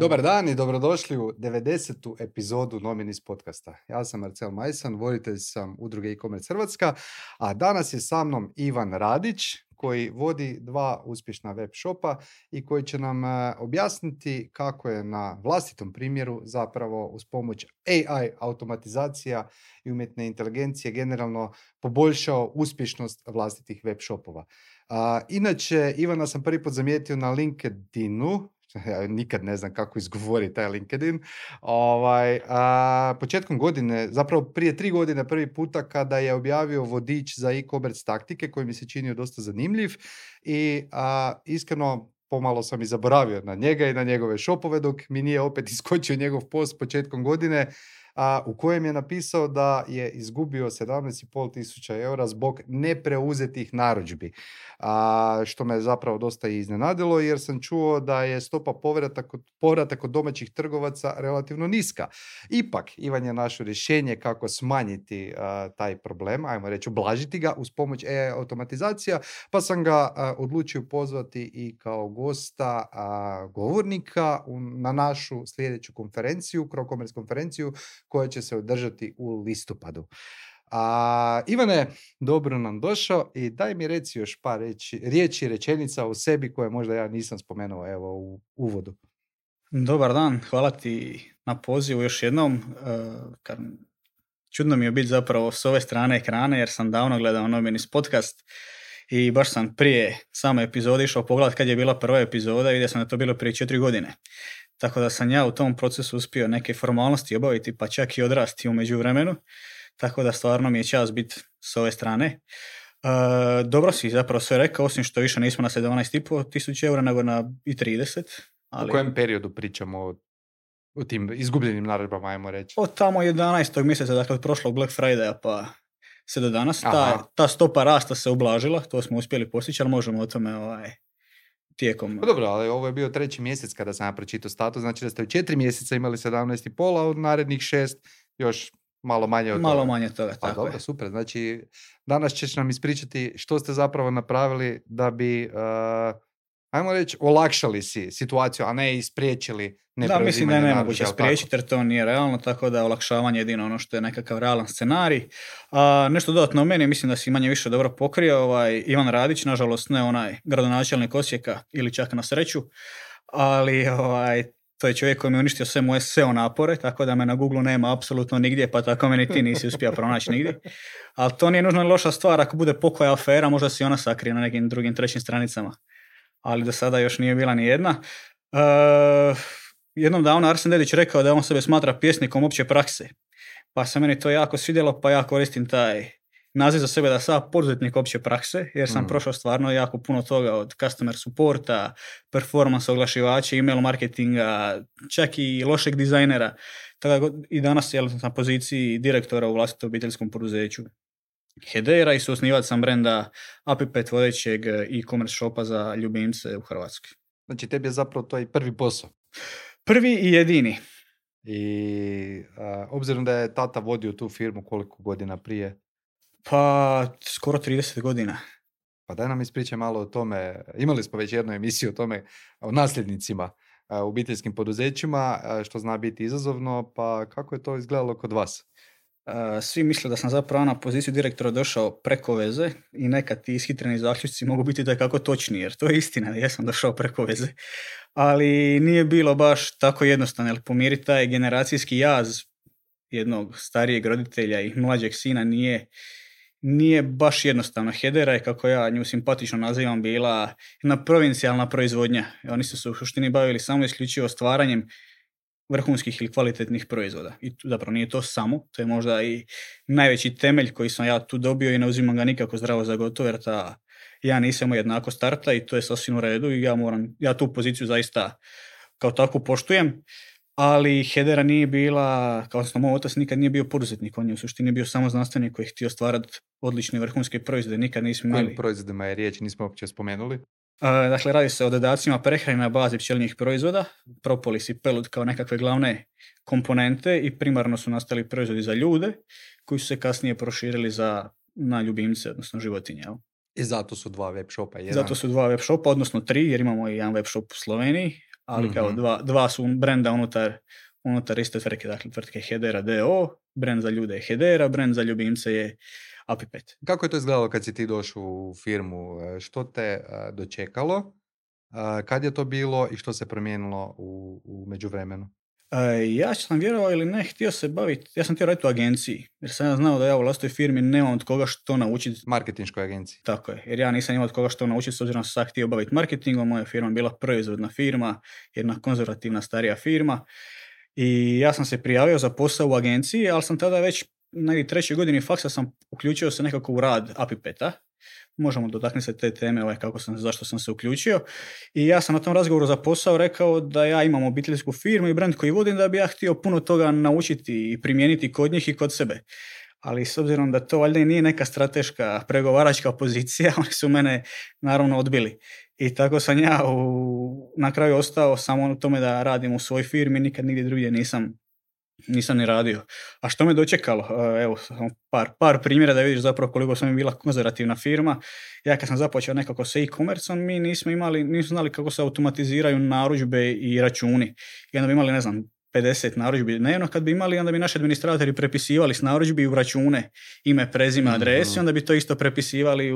Dobar dan i dobrodošli u 90. epizodu Nominis podcasta. Ja sam Marcel Majsan, voditelj sam udruge e-commerce Hrvatska, a danas je sa mnom Ivan Radić, koji vodi 2 uspješna web shopa i koji će nam objasniti kako je na vlastitom primjeru zapravo uz pomoć AI automatizacija i umjetne inteligencije generalno poboljšao uspješnost vlastitih web shopova. Inače, Ivana sam prvi put zamijetio na LinkedInu. Ja nikad ne znam kako izgovori taj LinkedIn. Početkom godine, zapravo prije 3 godine prvi puta kada je objavio vodič za e-commerce taktike koji mi se činio dosta zanimljiv i iskreno pomalo sam i zaboravio na njega i na njegove shopove dok mi nije opet iskočio njegov post početkom godine u kojem je napisao da je izgubio 17.500 eura zbog nepreuzetih narudžbi. Što me zapravo dosta iznenadilo jer sam čuo da je stopa povrata kod domaćih trgovaca relativno niska. Ipak, Ivan je našo rješenje kako smanjiti taj problem, ajmo reći ublažiti ga uz pomoć AI automatizacija, pa sam ga odlučio pozvati i kao gosta govornika na našu sljedeću konferenciju, CroCommerce konferenciju, koja će se održati u listopadu. Ivane, dobro nam došao i daj mi reci još par riječi, rečenica o sebi koje možda ja nisam spomenuo u uvodu. Dobar dan, hvala ti na pozivu još jednom. Čudno mi je biti zapravo s ove strane ekrana jer sam davno gledao Nominis podcast i baš sam prije same epizode išao pogledat kad je bila prva epizoda i vidio sam da je to bilo prije 4 godine. Tako da sam ja u tom procesu uspio neke formalnosti obaviti, pa čak i odrasti u međuvremenu. Tako da stvarno mi je čast biti s ove strane. Dobro si zapravo sve rekao, osim što više nismo na 17.500 eura, nego na i 30. U kojem periodu pričamo o tim izgubljenim narudžbama, ajmo reći? Od tamo 11. mjeseca, dakle od prošlog Black Friday-a pa sve do danas. Ta stopa rasta se ublažila, to smo uspjeli postići, ali možemo o tome tijekom... Pa dobro, ali ovo je bio 3. mjesec kada sam ja pročitao status, znači da ste u 4 mjeseca imali 17.500, a od narednih 6 još malo manje od toga. Malo manje od toga, tako dobro, je. Super, znači danas ćeš nam ispričati što ste zapravo napravili da bi, ajmo reći, olakšali si situaciju, a ne ispriječili nepreuzimanje. Da, mislim da je nemoguće spriječiti jer to nije realno, tako da olakšavanje je jedino ono što je nekakav realan scenarij. Nešto dodatno o meni, mislim da si manje više dobro pokrio. Ivan Radić, nažalost ne onaj gradonačelnik Osijeka ili čak na sreću, ali to je čovjek koji mi je uništio sve moje SEO napore, tako da me na Google nema apsolutno nigdje, pa tako meni ti nisi uspio pronaći nigdje. Ali to nije nužno loša stvar, ako bude pokoja afera, možda si ona sakrije na nekim drugim trećim stranicama. Ali do sada još nije bila ni jedna. Jednom davno Arsen Dedić rekao da on sebe smatra pjesnikom opće prakse. Pa se meni to jako svidjelo, pa ja koristim taj naziv za sebe da sam poduzetnik opće prakse, jer sam prošao stvarno jako puno toga od customer supporta, performance oglašivača, email marketinga, čak i lošeg dizajnera. Tako i danas sam na poziciji direktora u vlastitom obiteljskom poduzeću Hedera i suosnivač sam brenda Apipet, vodećeg e-commerce shopa za ljubimce u Hrvatskoj. Znači tebi je zapravo to i prvi posao. Prvi i jedini. I obzirom da je tata vodio tu firmu koliko godina prije? Pa skoro 30 godina. Pa daj nam ispričaj malo o tome. Imali smo već jednu emisiju o tome, o nasljednicima u obiteljskim poduzećima, što zna biti izazovno, pa kako je to izgledalo kod vas? Svi misle da sam zapravo na poziciju direktora došao preko veze i nekad ti ishitreni zaključci mogu biti da je kako točni, jer to je istina da ja sam došao preko veze. Ali nije bilo baš tako jednostavno, jer pomiriti taj generacijski jaz jednog starijeg roditelja i mlađeg sina nije baš jednostavno. Hedera je, kako ja nju simpatično nazivam, bila jedna provincijalna proizvodnja. Oni su se u suštini bavili samo isključivo stvaranjem vrhunskih ili kvalitetnih proizvoda. I zapravo nije to samo, to je možda i najveći temelj koji sam ja tu dobio i ne uzimam ga nikako zdravo za gotovo, jer ja nisam jednako starta i to je sasvim u redu i ja tu poziciju zaista kao takvu poštujem. Ali Hedera nije bila, kao što moj otac nikad nije bio poduzetnik, on je u suštini bio samo znanstvenik koji je htio stvarati odlične vrhunske proizvode, nikad nismo imali. Kojim proizvodima je riječ, nismo uopće spomenuli? Dakle, radi se o dodacima prehrane na bazi pčelinjih proizvoda, propolis i pelut kao nekakve glavne komponente i primarno su nastali proizvodi za ljude koji su se kasnije proširili na ljubimce, odnosno životinje. I zato su 2 web shopa. Zato su 2 web shopa, odnosno 3, jer imamo i jedan web shop u Sloveniji, ali kao dva su brenda unutar iste tvrtke, dakle tvrtke Hedera DO, brend za ljude je Hedera, brend za ljubimce je Apipet. Kako je to izgledalo kad si ti došao u firmu? Što te dočekalo? Kad je to bilo i što se promijenilo u međuvremenu? Ja sam, vjerovao ili ne, htio se baviti, ja sam htio raditi u agenciji, jer sam ja znao da ja u vlastitoj firmi nemam od koga što naučiti. Marketinškoj agenciji. Tako je, jer ja nisam imao od koga što naučiti, s obzirom da sam htio baviti marketingom, moja firma je bila proizvodna firma, jedna konzervativna starija firma, i ja sam se prijavio za posao u agenciji, ali sam tada već negdje 3. godini faksa sam uključio se nekako u rad Apipeta. Možemo dotaknuti se te teme zašto sam se uključio. I ja sam na tom razgovoru za posao rekao da ja imam obiteljsku firmu i brand koji vodim, da bi ja htio puno toga naučiti i primijeniti kod njih i kod sebe. Ali s obzirom da to valjda i nije neka strateška pregovaračka pozicija, oni su mene naravno odbili. I tako sam ja na kraju ostao samo na tome da radim u svojoj firmi, nikad nigdje drugdje nisam ni radio. A što me dočekalo? Evo, par primjera da vidiš zapravo koliko sam bila konzervativna firma. Ja kad sam započeo nekako sa e-commerceom, mi nismo znali kako se automatiziraju narudžbe i računi. I onda bi imali, 50 narudžbi dnevno. Kad bi imali, onda bi naši administratori prepisivali s narudžbi u račune ime, prezime, adresi, onda bi to isto prepisivali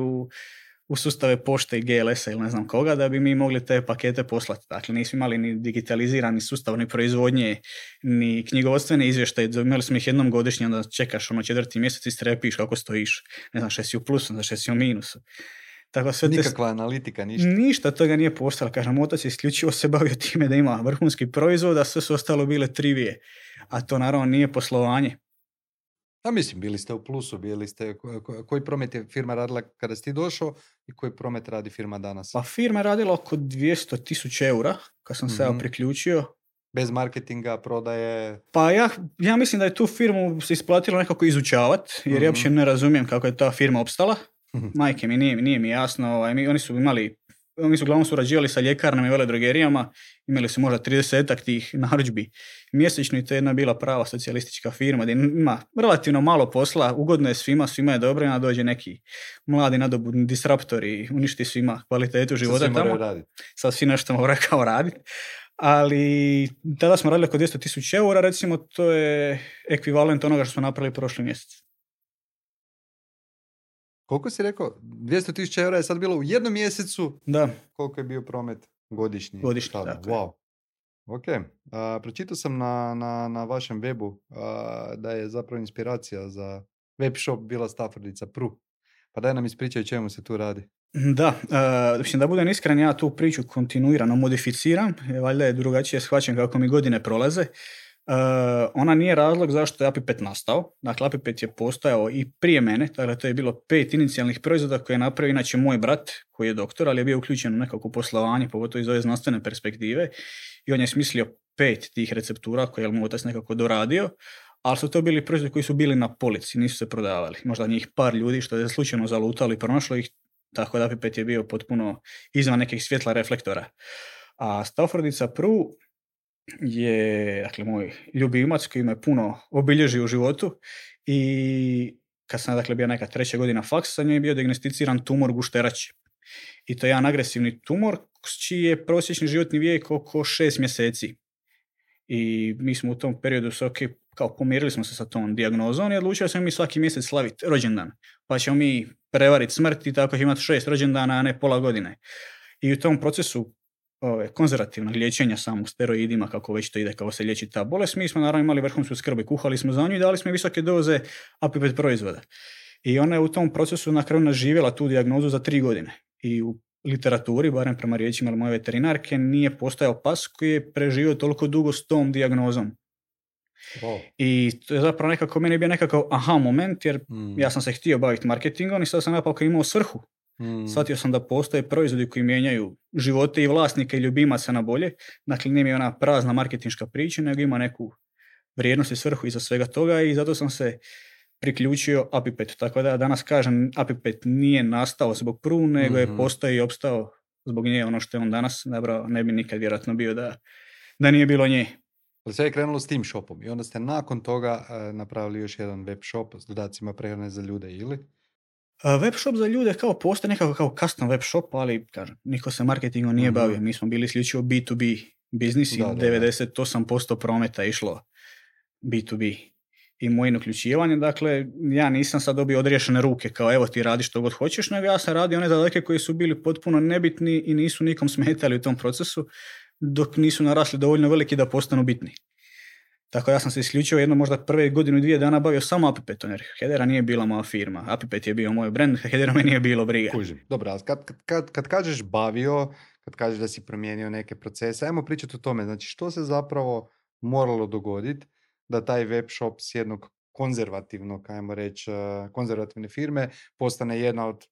u sustave pošte i GLS-a ili ne znam koga, da bi mi mogli te pakete poslati. Dakle, nismo imali ni digitalizirani sustav, ni proizvodnje, ni knjigovodstvene izvještaje. Imali smo ih jednom godišnje, onda čekaš 4. mjesec i strepiš kako stojiš. Što si u plusu, što si u minusu. Tako, nikakva analitika, ništa. Ništa toga nije postalo. Kažem, otac je isključivo se bavio time da ima vrhunski proizvod, a sve su ostalo bile trivije. A to naravno nije poslovanje. A mislim, bili ste u plusu, koji promet je firma radila kada si ti došao i koji promet radi firma danas? Pa firma je radila oko 200.000 eura kad sam se ja priključio. Bez marketinga, prodaje? Pa ja mislim da je tu firmu se isplatilo nekako izučavati, jer ja uopće ne razumijem kako je ta firma opstala. Majke mi, nije mi jasno. Oni su uglavnom surađivali sa ljekarnama i veledrogerijama, imali su možda 30-ak tih narudžbi mjesečno i to je jedna bila prava socijalistička firma gdje ima relativno malo posla, ugodno je svima je dobro, onda dođe neki mladi nadobudni disruptor i uništi svima kvalitetu života tamo. Sad svi nešto moraju kao raditi. Ali tada smo radili oko 200.000 eura, recimo to je ekvivalent onoga što smo napravili prošli mjesec. Koliko si rekao? 200.000 eura je sad bilo u jednom mjesecu? Da. Koliko je bio promet godišnji? Tako wow. Ok. Pročitao sam na vašem webu da je zapravo inspiracija za web shop bila Staffordica Pru. Pa daj nam ispričaj čemu se tu radi. Da, da budem iskren, ja tu priču kontinuirano modificiram, valjda je drugačije shvaćen kako mi godine prolaze. Ona nije razlog zašto je Apipet nastao. Dakle, Apipet je postojao i prije mene, dakle to je bilo 5 inicijalnih proizvoda koje je napravio inače moj brat, koji je doktor, ali je bio uključen u nekako poslovanje, pogotovo iz ove znanstvene perspektive, i on je smislio 5 tih receptura koje je mu otac nekako doradio, ali su to bili proizvodi koji su bili na polici, nisu se prodavali. Možda njih par ljudi što je slučajno zalutali, pronašlo ih, tako da Apipet je bio potpuno izvan nekih svjetla reflektora. A Staffordica Pru je, dakle, moj ljubimac koji me puno obilježio u životu i kad sam, dakle, bio neka 3. godina faksa, sa njoj je bio dijagnosticiran tumor gušterače. I to je jedan agresivni tumor čiji je prosječni životni vijek oko 6 mjeseci. I mi smo u tom periodu kao pomirili smo se sa tom dijagnozom i odlučili smo mi svaki mjesec slaviti rođendan. Pa ćemo mi prevariti smrt i tako imati 6 rođendana, a ne pola godine. I u tom procesu konzervativnog liječenja samo steroidima, kako već to ide, kako se liječi ta bolest, mi smo naravno imali vrhunsku skrb i kuhali smo za nju i dali smo visoke doze Apipet proizvoda. I ona je u tom procesu na kraju naživjela tu dijagnozu za 3 godine. I u literaturi, barem prema riječima moje veterinarke, nije postojao pas koji je preživio toliko dugo s tom dijagnozom. Wow. I to je zapravo nekako, meni je bio nekakav aha moment, jer ja sam se htio baviti marketingom i sad sam napak imao svrhu. Shvatio sam da postoje proizvodi koji mijenjaju živote i vlasnika i ljubimaca na bolje. Dakle, nije mi ona prazna marketinška priča, nego ima neku vrijednost i svrhu iza svega toga i zato sam se priključio Apipetu. Tako da danas kažem, Apipet nije nastao zbog Pru, nego je postao i opstao zbog nje. Ono što je on danas nabrao, ne bi nikad vjerojatno bio da nije bilo nje. Sve je krenulo s tim shopom i onda ste nakon toga napravili još jedan web shop s dodacima prehrane za ljude, ili? Web shop za ljude postoji nekako kao custom web shop, ali kažem, niko se marketingom nije bavio. Mi smo bili isključivo B2B biznis i Da. 98% prometa je išlo B2B. I moje uključivanje, dakle, ja nisam sad dobio odriješene ruke kao evo ti radi što god hoćeš, nego ja sam radio one zadatke koji su bili potpuno nebitni i nisu nikom smetali u tom procesu, dok nisu narasli dovoljno veliki da postanu bitni. Tako ja sam se isključio jedno možda prve godinu i 2 dana bavio samo Apipetom, jer Hedera nije bila moja firma. Apipet je bio moj brand, Hedera me nije bilo briga. Kužim. Dobro, ali kad kažeš bavio, kad kažeš da si promijenio neke procese, ajmo pričati o tome. Znači, što se zapravo moralo dogoditi da taj web shop s jednog konzervativnog, ajmo reći, konzervativne firme postane jedna od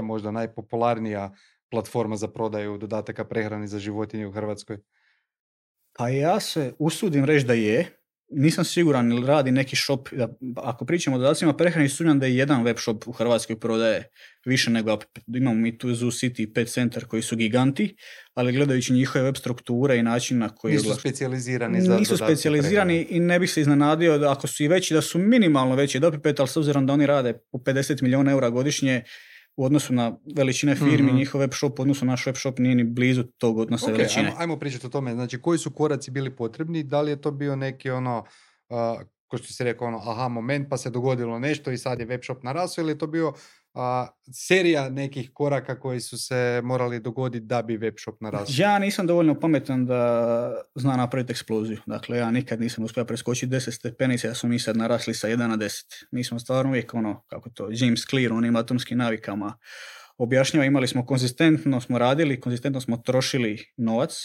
možda najpopularnija platforma za prodaju dodataka prehrani za životinje u Hrvatskoj? Pa ja se usudim reći da je. Nisam siguran ili radi neki shop. Ako pričamo o dodacima prehrani, sumnjam da je jedan web shop u Hrvatskoj prodaje više nego Apipet. Imamo mi tu Zoo City i Pet Center koji su giganti, ali gledajući njihove web strukture i način na koji... Nisu specijalizirani za dodatke Nisu specijalizirani prehrane. I ne bih se iznenadio da ako su i veći, da su minimalno veći od Apipet, ali s obzirom da oni rade po 50 milijuna eura godišnje, u odnosu na veličine firmi, njihov web shop u odnosu na naš web shop nije ni blizu tog odnosa veličine. Ajmo pričati o tome. Znači, koji su koraci bili potrebni? Da li je to bio neki ko što si rekao, aha moment pa se dogodilo nešto i sad je web shop narasao, ili je to bio serija nekih koraka koji su se morali dogoditi da bi web shop narasao? Ja nisam dovoljno pametan da zna napraviti eksploziju. Dakle, ja nikad nisam uspio preskočiti 10 stepenica, ja smo mi sad narasli sa 1 na 10. Mi smo stvarno uvijek kako to, James Clear, onim atomskim navikama objašnjava, imali smo konzistentno smo radili, konzistentno smo trošili novac,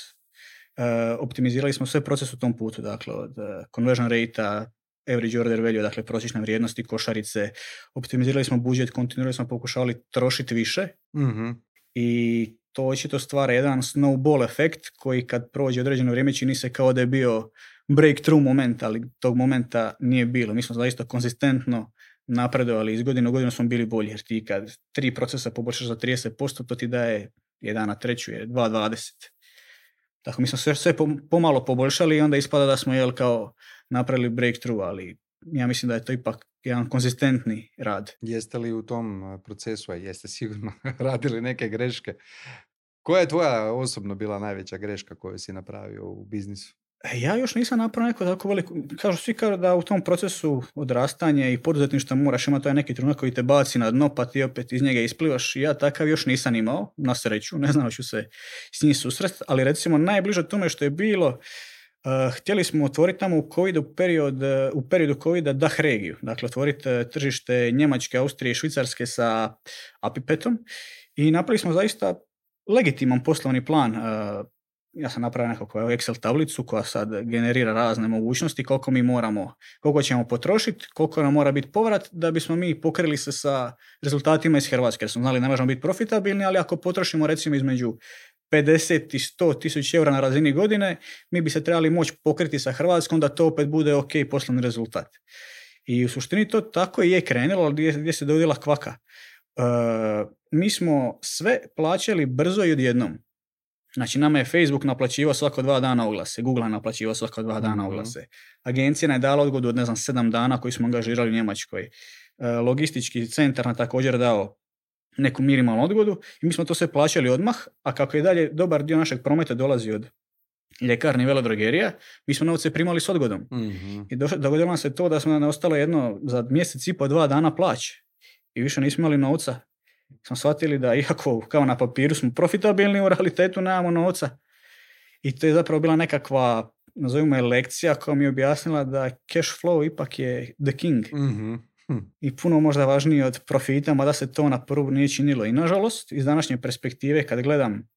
optimizirali smo sve proces u tom putu, dakle, od conversion rate-a, average order value, dakle prosječne vrijednosti košarice, optimizirali smo budžet, kontinuirano smo pokušavali trošiti više i to očito stvara jedan snowball efekt koji kad prođe određeno vrijeme čini se kao da je bio breakthrough moment, ali tog momenta nije bilo. Mi smo zaista konzistentno napredovali, iz godine u godinu smo bili bolji, jer ti kad 3 procesa poboljšaš za 30%, to ti daje 1 na 3 je 2,20. Tako mi smo sve pomalo poboljšali i onda ispada da smo kao napravili breakthrough, ali ja mislim da je to ipak jedan konzistentni rad. Jeste li u tom procesu, a jeste sigurno radili neke greške? Koja je tvoja osobno bila najveća greška koju si napravio u biznisu? Ja još nisam napravio neko tako veliko, svi kažu da u tom procesu odrastanja i poduzetništva moraš imati taj neki trenutak koji te baci na dno, pa ti opet iz njega isplivaš. Ja takav još nisam imao, na sreću, ne znam ću se s njim susresti, ali recimo najbliže tome što je bilo, htjeli smo otvoriti tamo u periodu covida DACH regiju, dakle otvoriti tržište Njemačke, Austrije i Švicarske sa Apipetom i napravili smo zaista legitiman poslovni plan. Ja sam napravio nekakvu Excel tablicu koja sad generira razne mogućnosti koliko ćemo potrošiti, koliko nam mora biti povrat da bismo mi pokrili se sa rezultatima iz Hrvatske. Jer smo znali ne možemo biti profitabilni, ali ako potrošimo recimo između 50 i 100 tisuća eura na razini godine, mi bi se trebali moći pokriti sa Hrvatskom da to opet bude ok poslovni rezultat. I u suštini to tako i je krenulo, ali gdje se dogodila kvaka. Mi smo sve plaćali brzo i odjednom. Znači, nama je Facebook naplaćivao svako 2 dana oglase, Google je naplaćivao svako 2 dana oglase. Agencija nam je dala odgodu od 7 dana koji smo angažirali u Njemačkoj. Logistički centar nam također dao neku minimalnu odgodu i mi smo to sve plaćali odmah, a kako je dalje dobar dio našeg prometa dolazi od ljekarni i velodrogerija, mi smo novce primali s odgodom. I dogodilo nam se to da smo nam ostalo za mjesec i po 2 dana plaće i više nismo imali novca. Smo shvatili da iako kao na papiru smo profitabilni, u realitetu nemamo novca. I to je zapravo bila nekakva, nazovimo je lekcija koja mi je objasnila da cash flow ipak je the king. I puno možda važnije od profita, mada se to na prvu nije činilo. I nažalost, iz današnje perspektive, kad gledam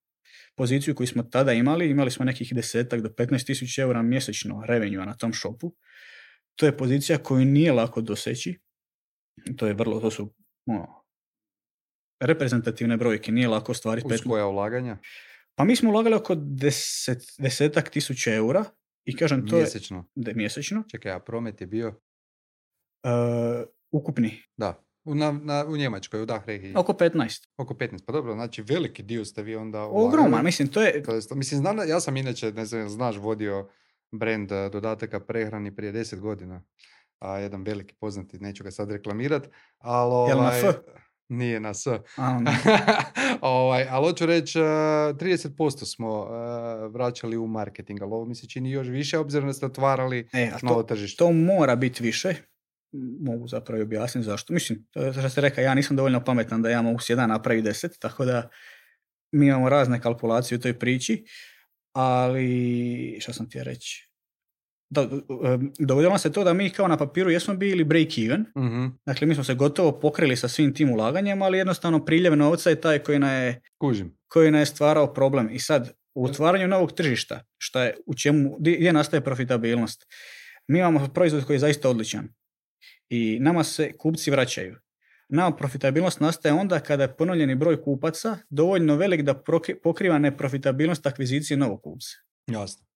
poziciju koju smo tada imali smo nekih 10 do 15 tisuća eura mjesečno revenue na tom shopu. To je pozicija koju nije lako doseći. To su reprezentativne brojke, nije lako ostvariti. Uz koja ulaganja? Pa mi smo ulagali oko 10 tisuća eura i kažem to mjesečno. Je mjesečno. Čekaj, a promet je bio? Ukupni. Da, u Njemačkoj, u DACH regiji. Oko 15. Oko 15, pa dobro, znači veliki dio ste vi onda ogroman, mislim, to je... ja sam inače, ne znam, znaš, vodio brand dodataka prehrani prije 10 godina. Jedan veliki poznati, neću ga sad reklamirat, ali... Jel na F? Nije na S. A, ne. Ali hoću reći, 30% smo vraćali u marketing, ali ovo mi se čini još više, obzirom da ste otvarali A novo tržište. to mora biti više. Mogu zapravo objasniti zašto. Mislim, to što ste rekao, ja nisam dovoljno pametan da ja mogu s 1 napraviti 10, tako da mi imamo razne kalkulacije u toj priči, ali što sam ti reći? Dogodilo se to da mi kao na papiru jesmo bili break even, dakle mi smo se gotovo pokrili sa svim tim ulaganjem, ali jednostavno priljev novca je taj koji nam je stvarao problem. I sad, u otvaranju novog tržišta, gdje nastaje profitabilnost? Mi imamo proizvod koji je zaista odličan i nama se kupci vraćaju. Nama profitabilnost nastaje onda kada je ponovljeni broj kupaca dovoljno velik da pokriva neprofitabilnost akvizicije novog kupca. Jasno.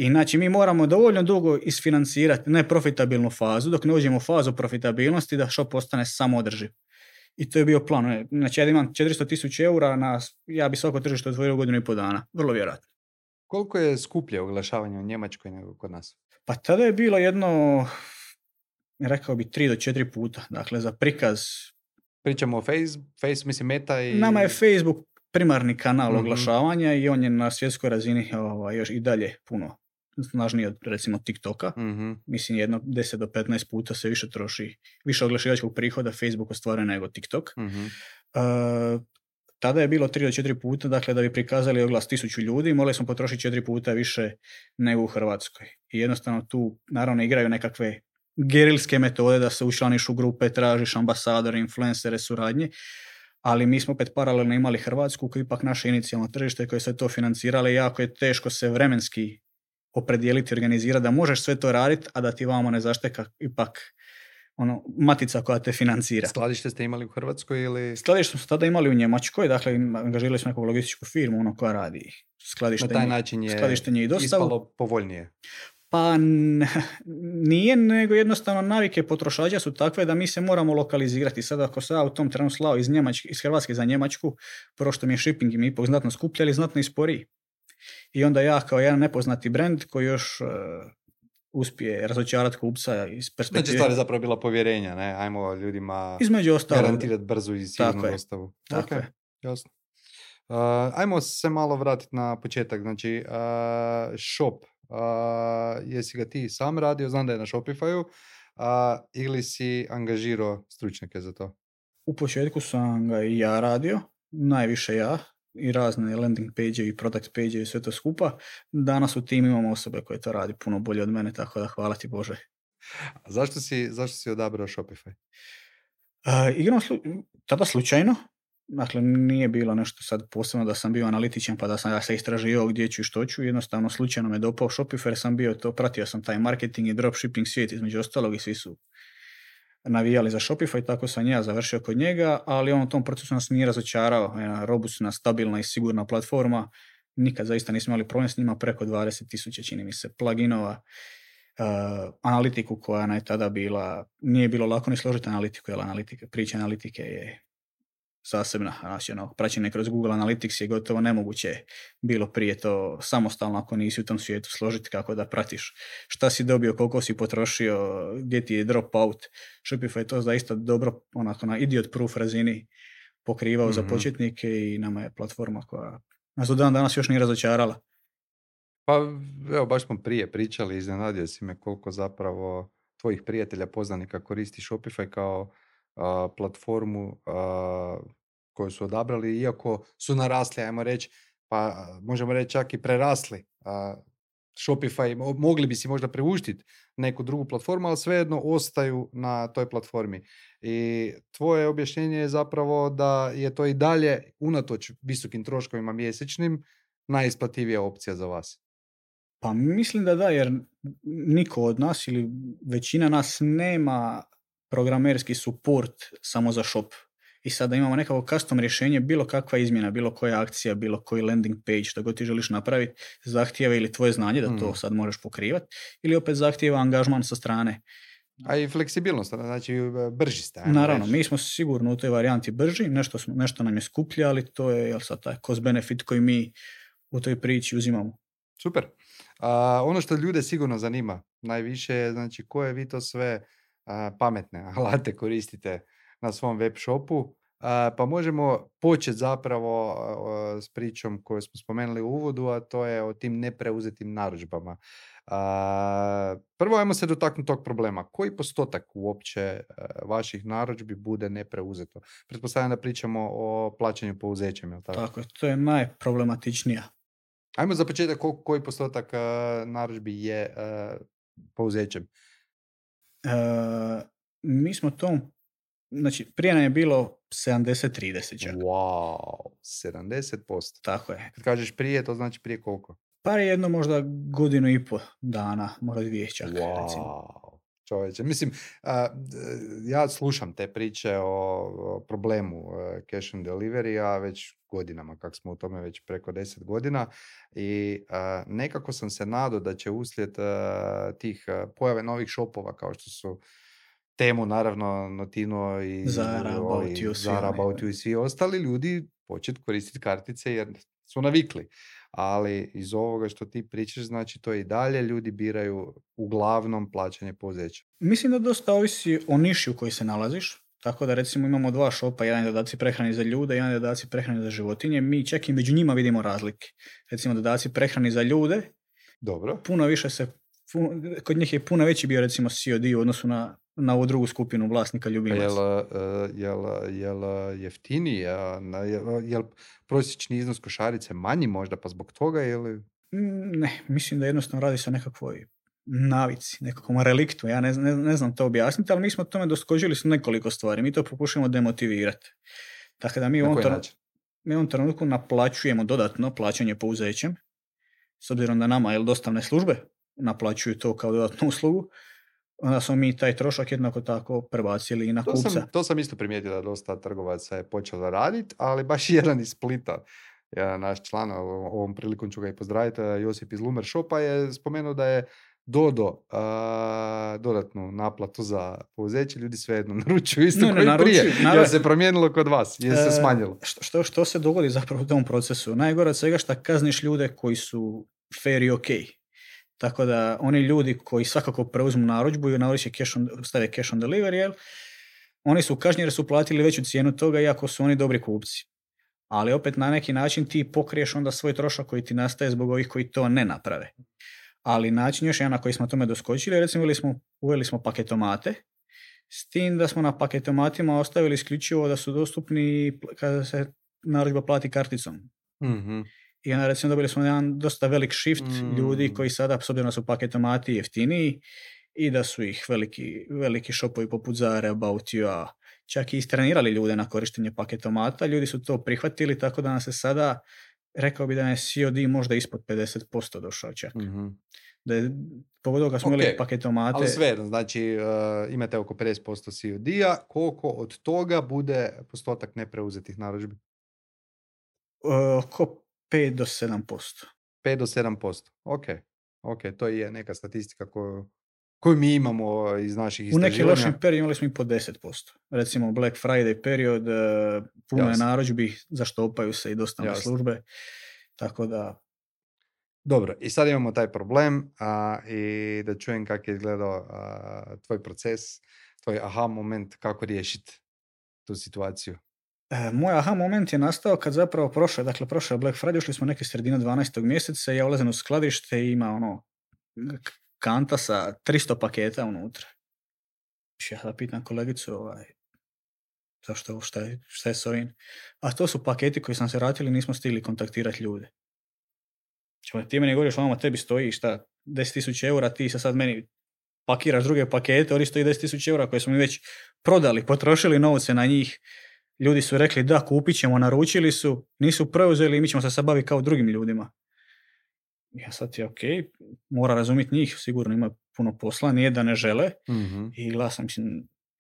Znači mi moramo dovoljno dugo isfinancirati neprofitabilnu fazu dok ne uđemo u fazu profitabilnosti da shop postane samoodrživ. I to je bio plan. Znači ja imam 400.000 eura, ja bi svako tržište otvorio u 1.5 godina. Vrlo vjerojatno. Koliko je skuplje oglašavanje u Njemačkoj nego kod nas? Pa tada je bilo jedno, rekao bi 3 do 4 puta. Dakle, za prikaz. Pričamo o mislim Meta i... Nama je Facebook primarni kanal oglašavanja i on je na svjetskoj razini još i dalje puno snažniji od recimo TikToka. Mislim jedno 10 do 15 puta se više troši, više oglašivačkog prihoda Facebook ostvaruje nego TikTok. Tada je bilo 3 do 4 puta, dakle da bi prikazali oglas 1000 ljudi, morali smo potrošiti 4 puta više nego u Hrvatskoj. I jednostavno tu naravno igraju nekakve gerilske metode da se učlaniš u grupe, tražiš ambasadore, influencere, suradnje, ali mi smo opet paralelno imali Hrvatsku koji je ipak naše inicijalno tržište koje se to financirale i jako je teško se vremenski opredijeliti, organizirati da možeš sve to raditi, a da ti vamo ne zašteka ipak matica koja te financira. Skladište ste imali u Hrvatskoj ili? Skladište smo tada imali u Njemačkoj, dakle angažirali smo neku logističku firmu koja radi skladištenje. Na taj način je ispalo povoljnije. Pa nije, nego jednostavno navike potrošača su takve da mi se moramo lokalizirati. Sada ako se ja u tom trenu slao iz Hrvatske za Njemačku, prvo što mi je shipping i mi ipak znatno skuplji, ali znatno i sporiji. I onda ja kao jedan nepoznati brand koji još uspije razočarati kupca iz perspektive... Znači stvar je zapravo bila povjerenja, ne? Ajmo ljudima između ostalog garantirati brzu i sigurnu dostavu. Tako je. Jasno. Ajmo se malo vratiti na početak. Znači, shop. Jesi ga ti sam radio, znam da je na Shopify-u, ili si angažirao stručnjake za to? U početku sam ga i ja radio, najviše ja, i razne landing page i product page i sve to skupa. Danas u timu imamo osobe koje to radi puno bolje od mene, tako da hvala ti Bože. A zašto si odabrao Shopify? Igram tada slučajno. Dakle, nije bilo nešto sad posebno da sam bio analitičan pa da sam ja se istraživao gdje ću i što ću. Jednostavno slučajno me dopao Shopify jer sam bio to, pratio sam taj marketing i dropshipping svijet između ostalog i svi su navijali za Shopify, tako sam ja završio kod njega, ali on u tom procesu nas nije razočarao. Jedna robustna, stabilna i sigurna platforma. Nikad zaista nismo imali problem s njima, preko 20.000 čini mi se pluginova. Analitiku koja je tada bila, nije bilo lako ni složiti analitiku, jer priča analitike je zasebna, znači praćenje kroz Google Analytics je gotovo nemoguće bilo prije to samostalno ako nisi u tom svijetu složiti kako da pratiš šta si dobio, koliko si potrošio, gdje ti je dropout. Shopify je to zaista dobro, onako na idiot proof razini pokrivao za početnike i nama je platforma koja nas do dan danas još nije razočarala. Pa evo, baš smo prije pričali, iznenadio si me koliko zapravo tvojih prijatelja, poznanika koristi Shopify kao platformu koju su odabrali, iako su narasli, ajmo reći, pa možemo reći čak i prerasli Shopify, mogli bi si možda priuštiti neku drugu platformu, ali svejedno ostaju na toj platformi. I tvoje objašnjenje je zapravo da je to i dalje, unatoč visokim troškovima mjesečnim, najisplativija opcija za vas. Pa mislim da, jer niko od nas ili većina nas nema programerski support samo za shop. I sada imamo nekako custom rješenje, bilo kakva izmjena, bilo koja akcija, bilo koji landing page, što god ti želiš napraviti, zahtijeva ili tvoje znanje da to sad možeš pokrivati, ili opet zahtijeva angažman sa strane. A i fleksibilnost, znači brži ste. Naravno, mi smo sigurno u toj varijanti brži, nešto nam je skuplje, ali to je sad taj cost benefit koji mi u toj priči uzimamo. Super. Ono što ljude sigurno zanima najviše je, znači, koje vi to sve pametne alate koristite na svom web shopu. Pa možemo početi zapravo s pričom koju smo spomenuli u uvodu, a to je o tim nepreuzetim narudžbama. Prvo ajmo se dotaknuti tog problema. Koji postotak uopće vaših narudžbi bude nepreuzeto? Pretpostavljam da pričamo o plaćanju pouzećem, je li tako? Tako je, to je najproblematičnija. Ajmo za početak koji postotak narudžbi je pouzećem? Mi smo znači prije nam je bilo 70-30 čak. Wow, 70%. Tako je. Kad kažeš prije, to znači prije koliko? Pa jedno možda godinu i pol dana, možda 2 čak. Recimo. Wow, čovječe. Mislim, ja slušam te priče o problemu cash on delivery, a već godinama, kak smo u tome već preko 10 godina i nekako sam se nadao da će uslijed tih pojave novih shopova kao što su Temu, naravno, Notino i Zara, About You i svi ostali ljudi početi koristiti kartice jer su navikli. Ali iz ovoga što ti pričaš, znači to i dalje ljudi biraju uglavnom plaćanje pouzeća. Mislim da dosta ovisi o niši u kojoj se nalaziš. Tako da recimo imamo 2 šopa, jedan je dodaci prehrani za ljude, jedan je dodaci prehrani za životinje. Mi čak i među njima vidimo razlike. Recimo dodaci prehrani za ljude, dobro, puno više kod njih je puno veći bio recimo COD u odnosu na ovu drugu skupinu vlasnika ljubimaca. Jel jeftiniji? Jel prosječni iznos košarice manji možda pa zbog toga ili? Ne, mislim da jednostavno radi se o nekakvoj navici, nekakvom reliktu. Ja ne znam to objasniti, ali mi smo tome doskočili s nekoliko stvari. Mi to pokušamo demotivirati. Tako da mi u ovom trenutku naplaćujemo dodatno plaćanje pouzećem, s obzirom da nama dostavne službe naplaćuju to kao dodatnu uslugu, onda smo mi taj trošak jednako tako prebacili i na kupca. To sam isto primijetio da dosta trgovaca je počelo raditi, ali baš jedan iz Splita, naš član, ovom prilikom ću ga i pozdraviti, Josip iz Lumer Shopa je spomenuo da je dodatnu naplatu za pouzeće, ljudi svejedno naručuju isto koji prije. Jer se promijenilo kod vas, jer se smanjilo. Što se dogodi zapravo u tom procesu? Najgore od svega što kazniš ljude koji su fair i ok. Tako da oni ljudi koji svakako preuzmu narudžbu i stave cash on delivery, oni su kažnjeni jer su platili veću cijenu toga iako su oni dobri kupci. Ali opet na neki način ti pokriješ onda svoj trošak koji ti nastaje zbog ovih koji to ne naprave. Ali način još jedan na koji smo tome doskočili, recimo uveli smo paketomate, s tim da smo na paketomatima ostavili isključivo da su dostupni kada se narudžba plati karticom. Mm-hmm. I onda recimo dobili smo jedan dosta velik shift ljudi koji sada, s obzirom da su paketomati jeftiniji i da su ih veliki shopovi poput Zara, About You, čak i istrenirali ljude na korištenje paketomata, ljudi su to prihvatili, tako da nam se sada, rekao bi da je COD možda ispod 50% došao čak. Mm-hmm. Da je pogodio kad smo imali paketomate. Ali sve, znači imate oko 50% COD-a, koliko od toga bude postotak nepreuzetih narudžbi? Oko 5 do 7%. 5 do 7%, ok, to je neka statistika koju mi imamo iz naših istraživanja. U nekim lošim periodima imali smo i po 10%. Recimo Black Friday period, puno je narudžbi, zaštopaju se i dostavne službe, tako da... Dobro, i sad imamo taj problem i da čujem kako je izgledao tvoj proces, tvoj aha moment, kako riješiti tu situaciju. Moj aha moment je nastao kad zapravo prošao je Black Friday, ušli smo neke sredine 12. mjeseca i ja ulazim u skladište i ima kanta sa 300 paketa unutra. Ja da pitam kolegicu, zašto, šta je s ovim? A to su paketi koji sam se vratili i nismo stigli kontaktirati ljude. Ti meni govoriš, tebi stoji 10.000 eura, ti se sad meni pakiraš druge pakete, oni stoji 10.000 eura koje smo mi već prodali, potrošili novce na njih. Ljudi su rekli da, kupit ćemo, naručili su, nisu preuzeli i mi ćemo se sad baviti kao drugim ljudima. Ja sad je ok, mora razumjeti njih, sigurno ima puno posla, nije da ne žele. Mm-hmm. I glasam,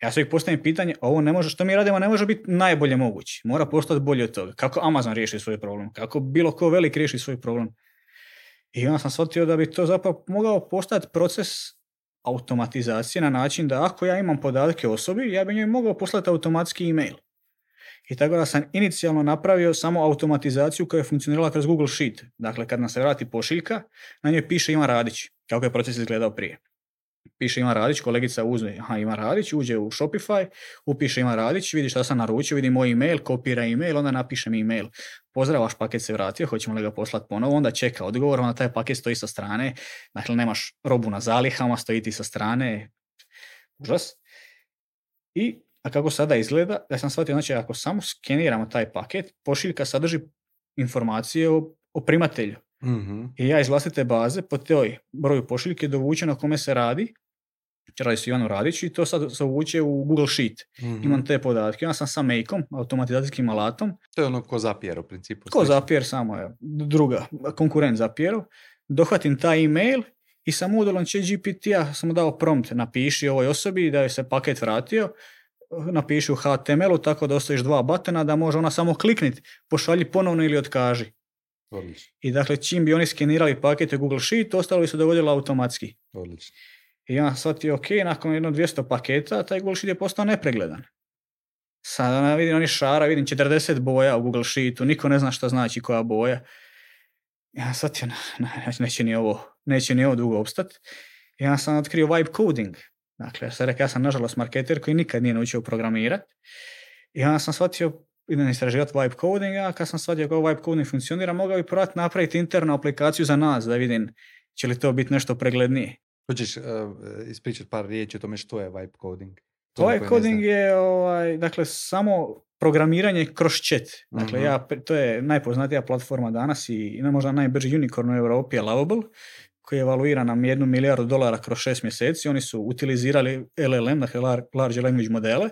ja se ih postavim pitanje, ovo ne može, što mi radimo ne može biti najbolje moguće, mora postati bolje od toga. Kako Amazon riješi svoj problem, kako bilo ko velik riješi svoj problem. I onda sam shvatio da bi to zapravo mogao postati proces automatizacije na način da ako ja imam podatke o osobi, ja bi njoj mogao poslati automatski e-mail. I tako da sam inicijalno napravio samo automatizaciju koja je funkcionirala kroz Google Sheet. Dakle, kad nam se vrati pošiljka, na njoj piše Ivan Radić, kako je proces izgledao prije. piše Ivan Radić, kolegica uzme, Ivan Radić, uđe u Shopify, upiše Ivan Radić, vidi šta sam naručio, vidi moj email, kopira email, onda napišem email. Pozdrav, vaš paket se vratio, hoćemo li ga poslati ponovo, onda čeka odgovor, onda taj paket stoji sa strane, dakle nemaš robu na zalihama, stoji ti sa strane, užas. A kako sada izgleda, ja sam shvatio, znači ako samo skeniramo taj paket, pošiljka sadrži informacije o primatelju. Mm-hmm. I ja iz vlastite baze po toj broju pošiljke dovučem na kome se radi se Ivanu Radiću i to sad se uvuče u Google Sheet. Mm-hmm. Imam te podatke, ja sam sa Make-om, automatizacijskim alatom. To je ono ko Zapier u principu. Ko Zapier, samo je druga, konkurent Zapieru. Dohvatim taj email i sam udolom ChatGPT-a sam mu dao prompt, napiši ovoj osobi da je se paket vratio, napiši u HTML-u tako da ostaviš 2 batona da može ona samo klikniti, pošalji ponovno ili otkaži. Odlično. I dakle, čim bi oni skenirali pakete Google Sheet, ostalo bi se dogodilo automatski. Odlično. I ja shvatio, ok, nakon 200 paketa, taj Google Sheet je postao nepregledan. Sada vidim oni šara, vidim 40 boja u Google Sheetu, niko ne zna šta znači koja boja. Ja shvatio, neće ni ovo dugo opstati. Ja sam otkrio vibe coding. Dakle, ja sam nažalost marketer koji nikad nije naučio programirati. I onda sam shvatio, idem istraživati vibe coding, a kad sam shvatio kako vibe coding funkcionira, mogao bi probati napraviti internu aplikaciju za nas, da vidim će li to biti nešto preglednije. Hoćeš ispričati par riječi o tome što je vibe coding? Vibe coding je dakle, samo programiranje kroz chat. Dakle, to je najpoznatija platforma danas i možda najbrži unicorn u Europi je Lovable, koji je evaluiran na $1 milijardu kroz 6 mjeseci. Oni su utilizirali LLM, dakle Large Language modele,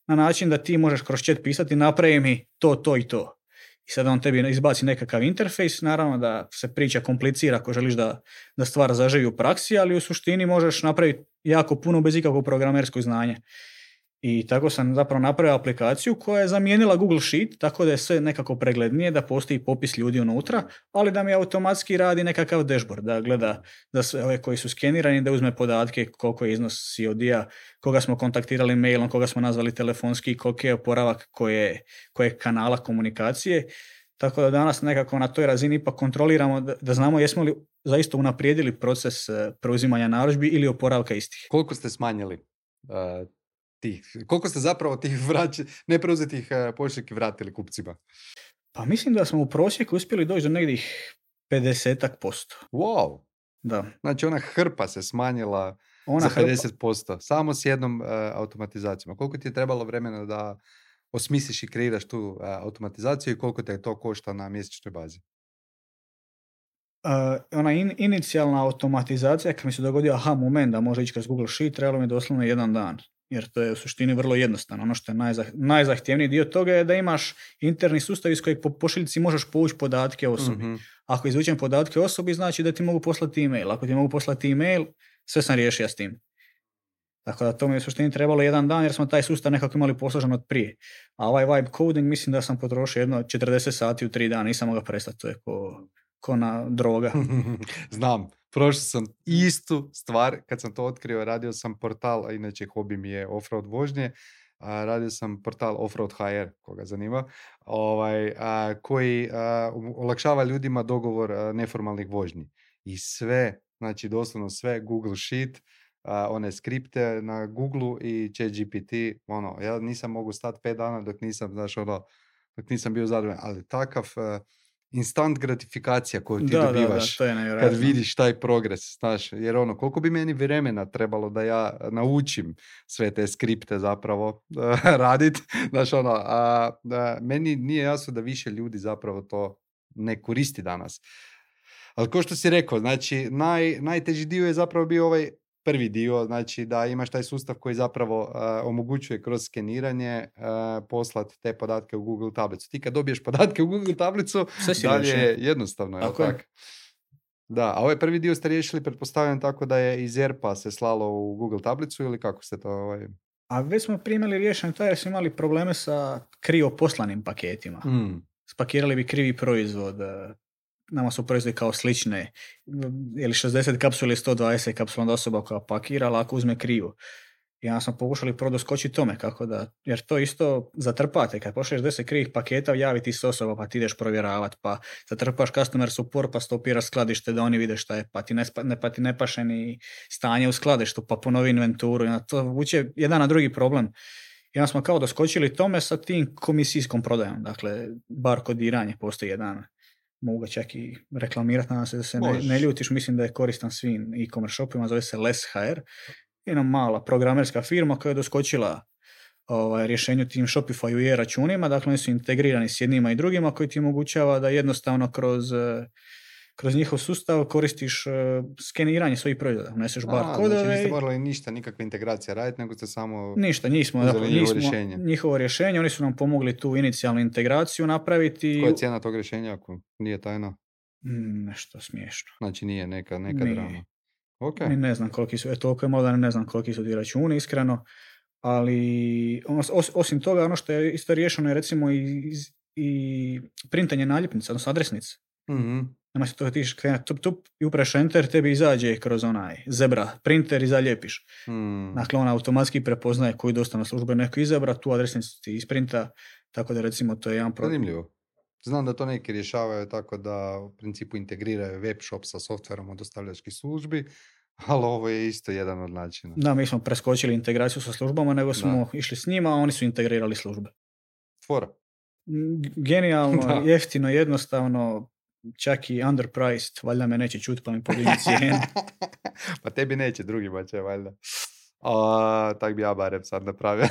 na način da ti možeš kroz chat pisati napravi mi to i to. I sada on tebi izbaci nekakav interfejs, naravno da se priča komplicira ako želiš da stvar zaživi u praksi, ali u suštini možeš napraviti jako puno bez ikakvog programerskog znanja. I tako sam zapravo napravio aplikaciju koja je zamijenila Google Sheet, tako da je sve nekako preglednije, da postoji popis ljudi unutra, ali da mi automatski radi nekakav dashboard, da gleda za sve ove koji su skenirani, da uzme podatke koliko je iznos COD-a, koga smo kontaktirali mailom, koga smo nazvali telefonski, koliko je oporavak koje kanala komunikacije. Tako da danas nekako na toj razini ipak kontroliramo da znamo jesmo li zaista unaprijedili proces preuzimanja narudžbi ili oporavka istih. Koliko ste smanjili koliko ste zapravo tih nepreuzetih pošiljki vratili kupcima? Pa mislim da smo u prosjeku uspjeli doći do negdje 50%. Wow! Da. Znači ona hrpa se smanjila za 50%, samo s jednom automatizacijom. Koliko ti je trebalo vremena da osmisliš i kreiraš tu automatizaciju i koliko te to košta na mjesečnoj bazi? Ona inicijalna automatizacija, kad mi se dogodio moment da može ići kroz Google Sheet, trebalo mi doslovno 1 dan. Jer to je u suštini vrlo jednostavno. Ono što je najzahtjevniji dio toga je da imaš interni sustav iz kojeg po pošiljci možeš povući podatke o osobi. Mm-hmm. Ako izvučem podatke o osobi, znači da ti mogu poslati email. Ako ti mogu poslati email, sve sam riješio s tim. Tako da to mi je u suštini trebalo 1 dan jer smo taj sustav nekako imali posložen od prije. A ovaj vibe coding mislim da sam potrošio 40 sati u 3 dana, nisam mogao prestati. To je ko na droga. Znam. Prošao sam istu stvar, kad sam to otkrio, radio sam portal, a inače hobi mi je offroad vožnje, radio sam portal Offroad HR, koga zanima, koji olakšava ljudima dogovor neformalnih vožnji. I sve, znači doslovno sve, Google Sheet, one skripte na Google i ChatGPT, ja nisam mogu stati 5 dana dok nisam bio zadovoljan, ali takav instant gratifikacija koju ti dobivaš kad vidiš taj progres, znaš, jer koliko bi meni vremena trebalo da ja naučim sve te skripte zapravo raditi, znaš, meni nije jasno da više ljudi zapravo to ne koristi danas. Ali kao što si rekao, znači, najteži dio je zapravo bio ovaj prvi dio, znači da imaš taj sustav koji zapravo omogućuje kroz skeniranje poslati te podatke u Google tablicu. Ti kad dobiješ podatke u Google tablicu, dalje je jednostavno, je li tako? Da, a ovaj prvi dio ste riješili, pretpostavljam tako da je iz ERP-a se slalo u Google tablicu ili kako ste to... A već smo primali riješeno to jer smo imali probleme sa krivo poslanim paketima. Spakirali bi krivi proizvod, nama su proizvodi kao slične, ili 60 kapsula ili 120 kapsula onda osoba koja pakira, ali ako uzme krivo. I onda smo pokušali doskočiti tome, kako da, jer to isto zatrpate, kad pošliješ 10 krivih paketa, javi ti se osoba, pa ti ideš provjeravati, pa zatrpaš customer support, pa stopiraš skladište da oni vide šta je, pa ti ne paše ni stanje u skladištu, pa ponovi inventuru, i to vuče jedan na drugi problem. I onda smo kao doskočili tome sa tim komisijskom prodajom, dakle, bar kodiranje, postoji jedan, mogu ga čak i reklamirati, nadam se da se ne ljutiš, mislim da je koristan svim e-commerce shopima, zove se LessHire, jedna mala programerska firma koja je doskočila rješenju tim Shopify i e-računima, dakle oni su integrirani s jednima i drugima koji ti omogućava da jednostavno kroz njihov sustav koristiš skeniranje svojih proizvoda. Uneseš barkodove. Znači niste morali ništa, nikakva integracija raditi, nego ste samo ništa, njihovo rješenje, oni su nam pomogli tu inicijalnu integraciju napraviti. Koja je cijena tog rješenja ako nije tajna? Nešto smiješno. Znači nije neka drama. Okay. Ne znam koliki su, toliko je malo da ne znam koliki su ti računi, iskreno, ali osim toga, ono što je isto riješeno je recimo i printanje naljepnica, odnosno adresnice. Mm-hmm. Nema se toga tiš tup i upraš enter, tebi izađe kroz onaj zebra printer i zaljepiš. Dakle, on automatski prepoznaje koju dostavna služba neko izabra, tu adresnicu ti isprinta, tako da recimo to je jedan problem. Zanimljivo. Znam da to neki rješavaju tako da u principu integriraju web shop sa softverom od dostavljačkih službi, ali ovo je isto jedan od načina. Da, mi smo preskočili integraciju sa službama, nego smo išli s njima, a oni su integrirali službe. Fora. Genijalno, jeftino, jednostavno, čak i underpriced, valjda me neće čuti pa mi podigni cijenu. Pa tebi neće, drugima će valjda. Tak bi ja barem sad napravio.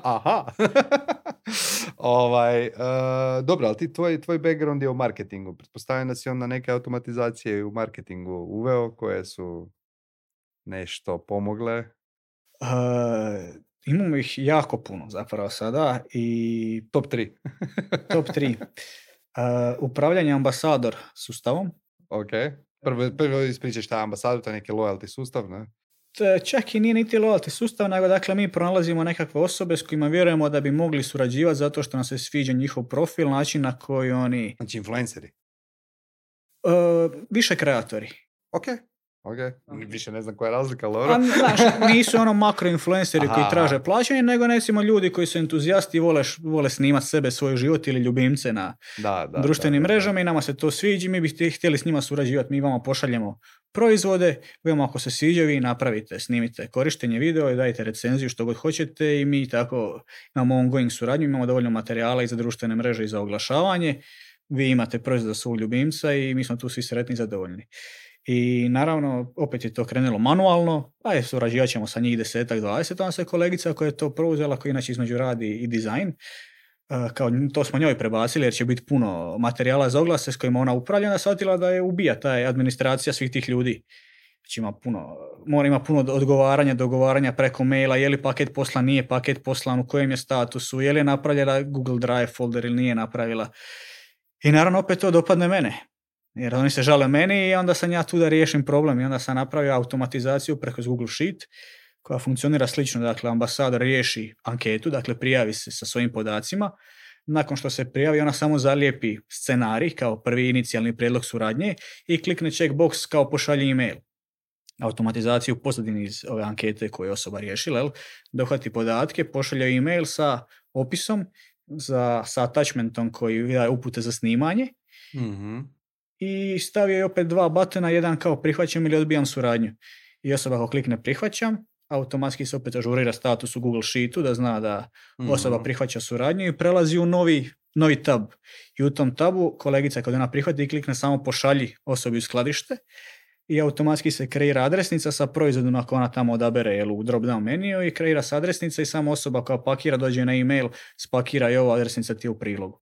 Aha. Dobro, ali ti tvoj background je u marketingu. Pretpostavljam da si onda neke automatizacije u marketingu uveo koje su nešto pomogle. Imamo ih jako puno zapravo sada i top 3. Top 3. Upravljanje ambasador sustavom. Ok. Prvo ispričaš šta je ambasador, to je neki loyalty sustav, ne? Čak i nije niti loyalty sustav, nego dakle mi pronalazimo nekakve osobe s kojima vjerujemo da bi mogli surađivati zato što nam se sviđa njihov profil, način na koji oni... Znači influenceri? Više kreatori. Ok. Više ne znam koja je razlika, Laura. Znaš, nisu ono makroinfluenceri koji traže plaćanje, nego recimo ljudi koji su entuzijasti i vole snimati sebe, svoj život ili ljubimce na društvenim mrežama i nama se to sviđa, mi bi htjeli s njima surađivati, mi vama pošaljemo proizvode, vi vam ako se sviđa, vi napravite, snimite korištenje video i dajte recenziju što god hoćete i mi tako imamo ongoing suradnju, imamo dovoljno materijala i za društvene mreže i za oglašavanje, vi imate proizvod za svog ljubimca i mi smo tu svi sretni i zadovoljni. I naravno, opet je to krenulo manualno, surađivat ćemo sa njih 10-20, onda se kolegica koja je to preuzela, koja inače između radi i dizajn, kao to smo njoj prebacili jer će biti puno materijala za oglase s kojima ona upravlja, onda shvatila da je ubija ta administracija svih tih ljudi. Znači ima puno odgovaranja, dogovaranja preko maila, je li paket poslan, nije paket poslan, u kojem je statusu, je li je napravila Google Drive folder ili nije napravila. I naravno opet to dopadne mene. Jer oni se žale meni i onda sam ja tu da riješim problem i onda sam napravio automatizaciju preko Google Sheet koja funkcionira slično, dakle ambasador riješi anketu, dakle prijavi se sa svojim podacima, nakon što se prijavi ona samo zalijepi scenarij kao prvi inicijalni prijedlog suradnje i klikne checkbox kao pošalji email. Automatizaciju u pozadini iz ove ankete koju je osoba riješila, dohvati podatke, pošalje email sa opisom, sa attachmentom koji daje upute za snimanje, i stavio je opet 2 batona, jedan kao prihvaćam ili odbijam suradnju. I osoba ako klikne prihvaćam, automatski se opet ažurira status u Google Sheetu da zna da osoba prihvaća suradnju i prelazi u novi tab. I u tom tabu kolegica kad ona prihvati klikne samo pošalji osobi u skladište i automatski se kreira adresnica sa proizvodom ako ona tamo odabere u drop down meniju i kreira se adresnica i samo osoba koja pakira dođe na email, spakira i ova adresnica ti je u prilogu.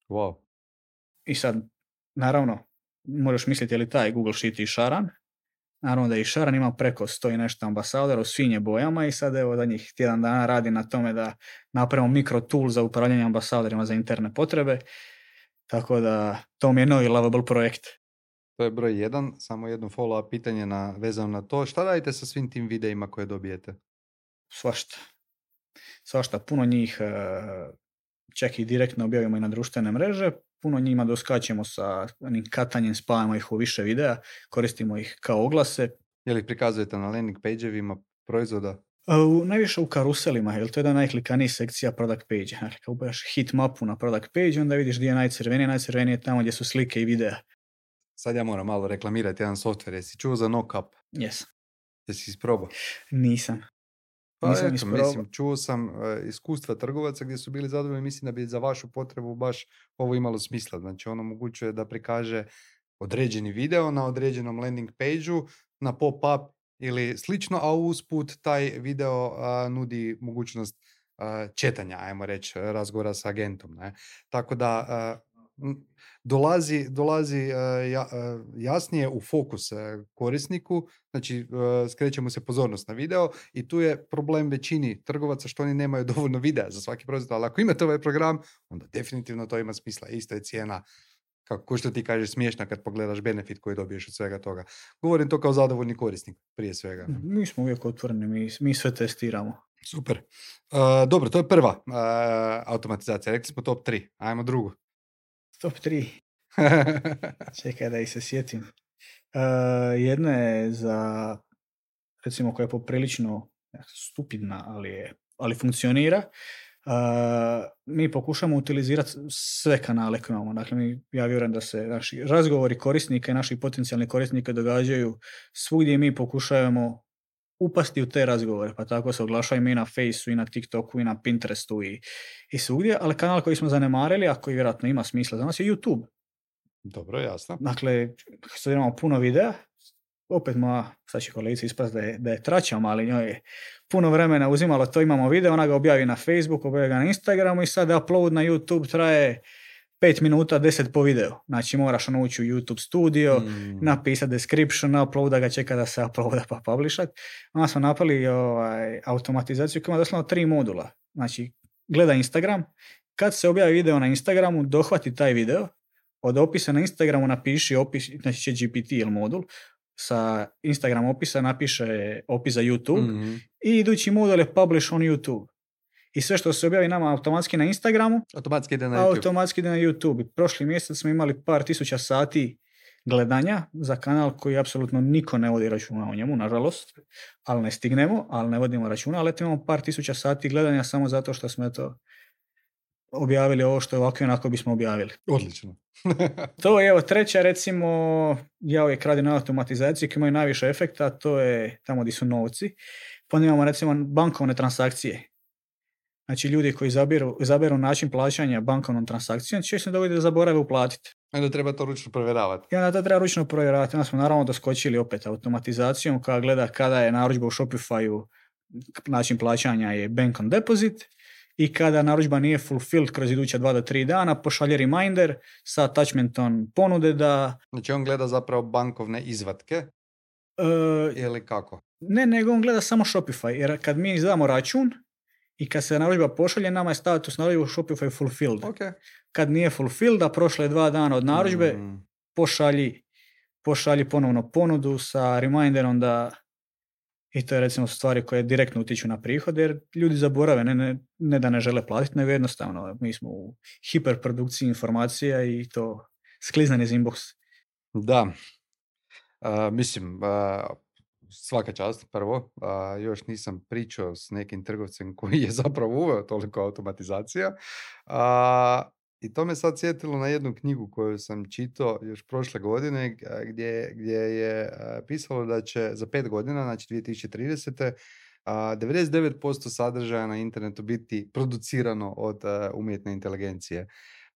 Wow. I sad naravno, možeš misliti je li taj Google Sheet i šaran. Naravno da i šaran, ima preko 100 i nešto ambasadora u svim bojama i sad evo zadnjih tjedan dana radi na tome da napravimo mikro tool za upravljanje ambasadorima za interne potrebe. Tako da to mi je novi lovable projekt. To je broj 1, samo jedno follow-up pitanje vezano na to. Šta radite sa svim tim videima koje dobijete? Svašta. Puno njih čak i direktno objavimo i na društvene mreže. Puno njima doskačemo sa onim katanjem, spajamo ih u više videa, koristimo ih kao oglase. Je li prikazujete na landing page-evima proizvoda? Najviše u karuselima, jer to je jedna najklikanijih sekcija product page. Dakle, kao ubaš hit mapu na product page, onda vidiš gdje je najcrvenije je tamo gdje su slike i videa. Sad ja moram malo reklamirati jedan software. Jesi čuo za NoCap? Yes. Jesi isprobao? Nisam. Pa Nisam eto, isprobao. mislim, čuo sam iskustva trgovaca gdje su bili zadovoljni, mislim da bi za vašu potrebu baš ovo imalo smisla. Znači, ono omogućuje da prikaže određeni video na određenom landing page-u, na pop-up ili slično, a usput taj video nudi mogućnost četanja, ajmo reći, razgovora sa agentom. Ne? Tako da dolazi jasnije u fokus korisniku, znači skrećemo se pozornost na video i tu je problem većini trgovaca što oni nemaju dovoljno videa za svaki proizvod, ali ako imate ovaj program, onda definitivno to ima smisla. Isto je cijena, kako što ti kažeš, smiješna kad pogledaš benefit koji dobiješ od svega toga. Govorim to kao zadovoljni korisnik, prije svega. Mi smo uvijek otvoreni, mi sve testiramo. Super. Dobro, to je prva automatizacija. Rekli smo top 3. Ajmo drugu. Top 3. Čekaj da ih se sjetim. Jedna je za, recimo, koja je poprilično stupidna, ali funkcionira. Mi pokušamo utilizirati sve kanale koje imamo. Dakle, ja vjerujem da se naši razgovori korisnika i naših potencijalnih korisnika događaju svugdje, mi pokušavamo upasti u te razgovore, pa tako se oglašavamo i na Faceu, i na TikToku, i na Pinterestu i svugdje, ali kanal koji smo zanemarili, a koji vjerojatno ima smisla za nas, je YouTube. Dobro, jasno. Dakle, sad imamo puno videa, opet sad će kolegica ispast da je traćam, ali njoj je puno vremena uzimalo to, imamo video, ona ga objavi na Facebooku, objavi ga na Instagramu i sad upload na YouTube traje 5 minuta, 10 po video. Znači moraš ući u YouTube studio, napisati description, uploada ga, čeka da se uploada pa publishat. Onda smo napravili automatizaciju koja ima doslovno 3 modula. Znači, gleda Instagram, kad se objavi video na Instagramu, dohvati taj video, od opisa na Instagramu napiši opis, znači će GPT ili modul, sa Instagram opisa napiše opis za YouTube i idući modul je publish on YouTube. I sve što se objavi nama automatski na Instagramu, automatski ide na YouTube. Prošli mjesec smo imali par tisuća sati gledanja za kanal koji apsolutno niko ne vodi računa o njemu, nažalost, ali ne stignemo, ali ne vodimo računa, ali imamo par tisuća sati gledanja samo zato što smo objavili ovo što je ovako i onako bismo objavili. Odlično. To je, evo, treća, recimo, ja uvijek radim na automatizaciji koji imaju najviše efekta, to je tamo gdje su novci. Pa imamo, recimo, bankovne transakcije. Znači, ljudi koji izaberu način plaćanja bankovnom transakcijom, će se dogoditi da zaborave uplatiti. Onda treba to ručno provjeravati. I onda to treba ručno provjeravati. Onda smo naravno doskočili opet automatizacijom koja gleda kada je narudžba u Shopify-u, način plaćanja je bank on deposit, i kada narudžba nije fulfilled kroz iduća 2 do 3 dana, pošalje reminder sa attachmentom ponude da... Znači on gleda zapravo bankovne izvatke ili kako? Ne, nego on gleda samo Shopify, jer kad mi izdamo račun i kad se narudžba pošalje, nama je status narudžba u Shopify fulfilled. Okay. Kad nije fulfilled, a prošle je 2 dana od narudžbe, pošalji ponovno ponudu sa reminderom da... I to je, recimo, stvari koje direktno utiču na prihod, jer ljudi zaborave, ne da ne žele platiti, nego jednostavno mi smo u hiperprodukciji informacija i to skliznan iz inbox. Da, mislim, svaka čast prvo, još nisam pričao s nekim trgovcem koji je zapravo uveo toliko automatizacija. I to me sad sjetilo na jednu knjigu koju sam čitao još prošle godine gdje je pisalo da će za 5 godina, znači 2030. 99% sadržaja na internetu biti producirano od umjetne inteligencije.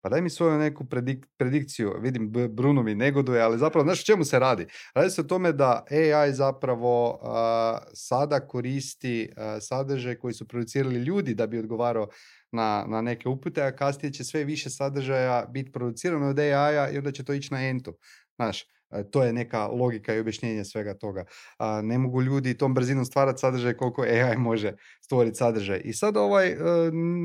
Pa daj mi svoju neku predikciju. Vidim, Bruno mi negoduje, ali zapravo, znaš o čemu se radi? Radi se o tome da AI zapravo sada koristi sadržaj koji su producirali ljudi da bi odgovarao na neke upute, a kasnije će sve više sadržaja biti producirano od AI-a i onda će to ići na entu. Znaš, to je neka logika i objašnjenje svega toga. Ne mogu ljudi tom brzinom stvarati sadržaj koliko AI može stvoriti sadržaj. I sad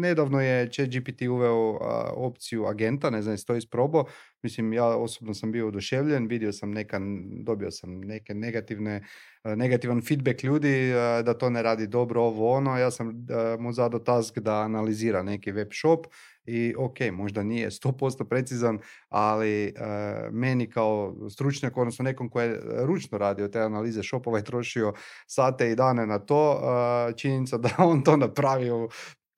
nedavno je ChatGPT uveo opciju agenta, ne znam jesi to isprobao. Mislim, ja osobno sam bio oduševljen, dobio sam neke negativne negativan feedback ljudi da to ne radi dobro, ovo ono. Ja sam mu zadao task da analizira neki web shop i ok, možda nije 100% precizan, ali meni kao stručnjak, odnosno nekom ko je ručno radio te analize shopova i trošio sate i dane na to, činjenica da on to napravio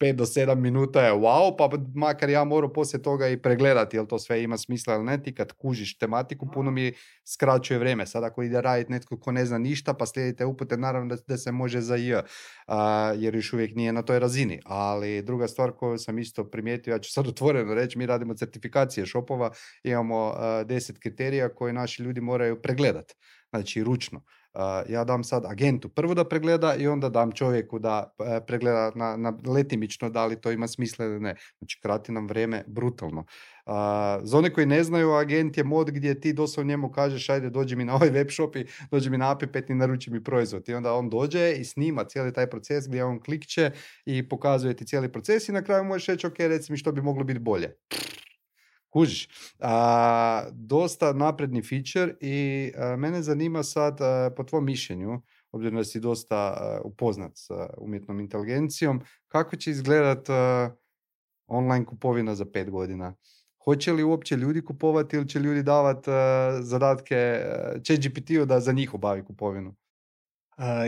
5 do 7 minuta je wow, pa makar ja moram poslije toga i pregledati jel to sve ima smisla ili ne, ti kad kužiš tematiku puno mi skraćuje vrijeme. Sad ako ide raditi netko ko ne zna ništa pa slijedite upute, naravno da se može za jer još uvijek nije na toj razini. Ali druga stvar koju sam isto primijetio, ja ću sad otvoreno reći, mi radimo certifikacije shopova, imamo 10 kriterija koje naši ljudi moraju pregledati, znači ručno. Ja dam sad agentu prvo da pregleda i onda dam čovjeku da pregleda na letimično da li to ima smisla ili ne. Znači krati nam vrijeme brutalno. Za one koji ne znaju, agent je mod gdje ti doslovno njemu kažeš ajde dođi mi na ovaj web shop i dođi mi na API5 i naruči mi proizvod. I onda on dođe i snima cijeli taj proces gdje on klikće i pokazuje ti cijeli proces i na kraju možeš reći ok, reci mi što bi moglo biti bolje. Kužiš. Dosta napredni feature i mene zanima sad po tvom mišljenju, obzirom da si dosta upoznat s umjetnom inteligencijom, kako će izgledat online kupovina za 5 godina? Hoće li uopće ljudi kupovati ili će ljudi davati zadatke ChatGPT-u da za njih obavi kupovinu?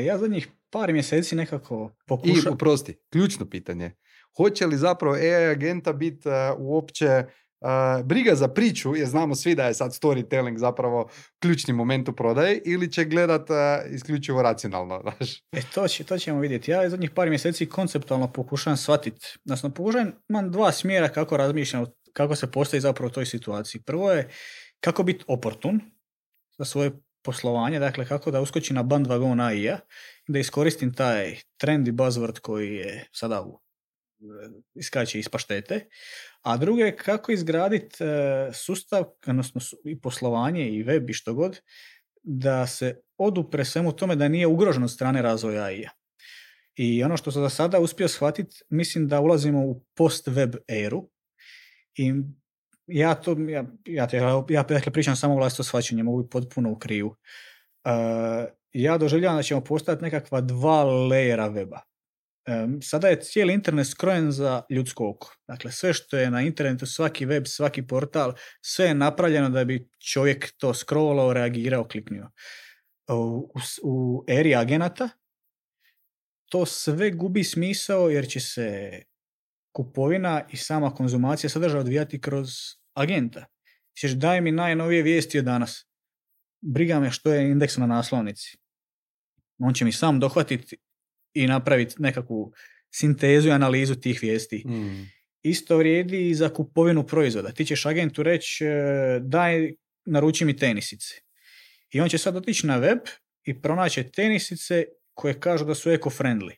Ja zadnjih par mjeseci nekako I, oprosti, ključno pitanje. Hoće li zapravo AI agenta biti uopće briga za priču, jer znamo svi da je sad storytelling zapravo ključni moment u prodaji, ili će gledat isključivo racionalno, znaš? To ćemo vidjeti. Ja zadnjih par mjeseci konceptualno pokušavam shvatiti. Znači, imam dva smjera kako razmišljam, kako se postavi zapravo u toj situaciji. Prvo je kako biti oportun za svoje poslovanje, dakle kako da uskoči na bandwagon AI-a, da iskoristim taj trendy buzzword koji je sada iskače iz paštete, a drugo je kako izgraditi sustav, odnosno i poslovanje i web i što god, da se odupre svemu tome da nije ugrožen od strane razvoja AI-a. I ono što sam za sada uspio shvatiti, mislim da ulazimo u post-web eru i ja pričam samo vlastito shvaćanje, mogu biti potpuno u krivu. Ja doživljavam da ćemo postati nekakva 2 lejera weba. Sada je cijeli internet skrojen za ljudsko oko. Dakle, sve što je na internetu, svaki web, svaki portal, sve je napravljeno da bi čovjek to scrollao, reagirao, kliknio. U eri agenata to sve gubi smisao jer će se kupovina i sama konzumacija sadržaja odvijati kroz agenta. Ćeš daj mi najnovije vijesti od danas. Briga me što je indeks na naslovnici. On će mi sam dohvatiti i napraviti nekakvu sintezu i analizu tih vijesti. Isto vrijedi i za kupovinu proizvoda. Ti ćeš agentu reći daj, naruči mi tenisice. I on će sad otići na web i pronaći tenisice koje kažu da su eco-friendly.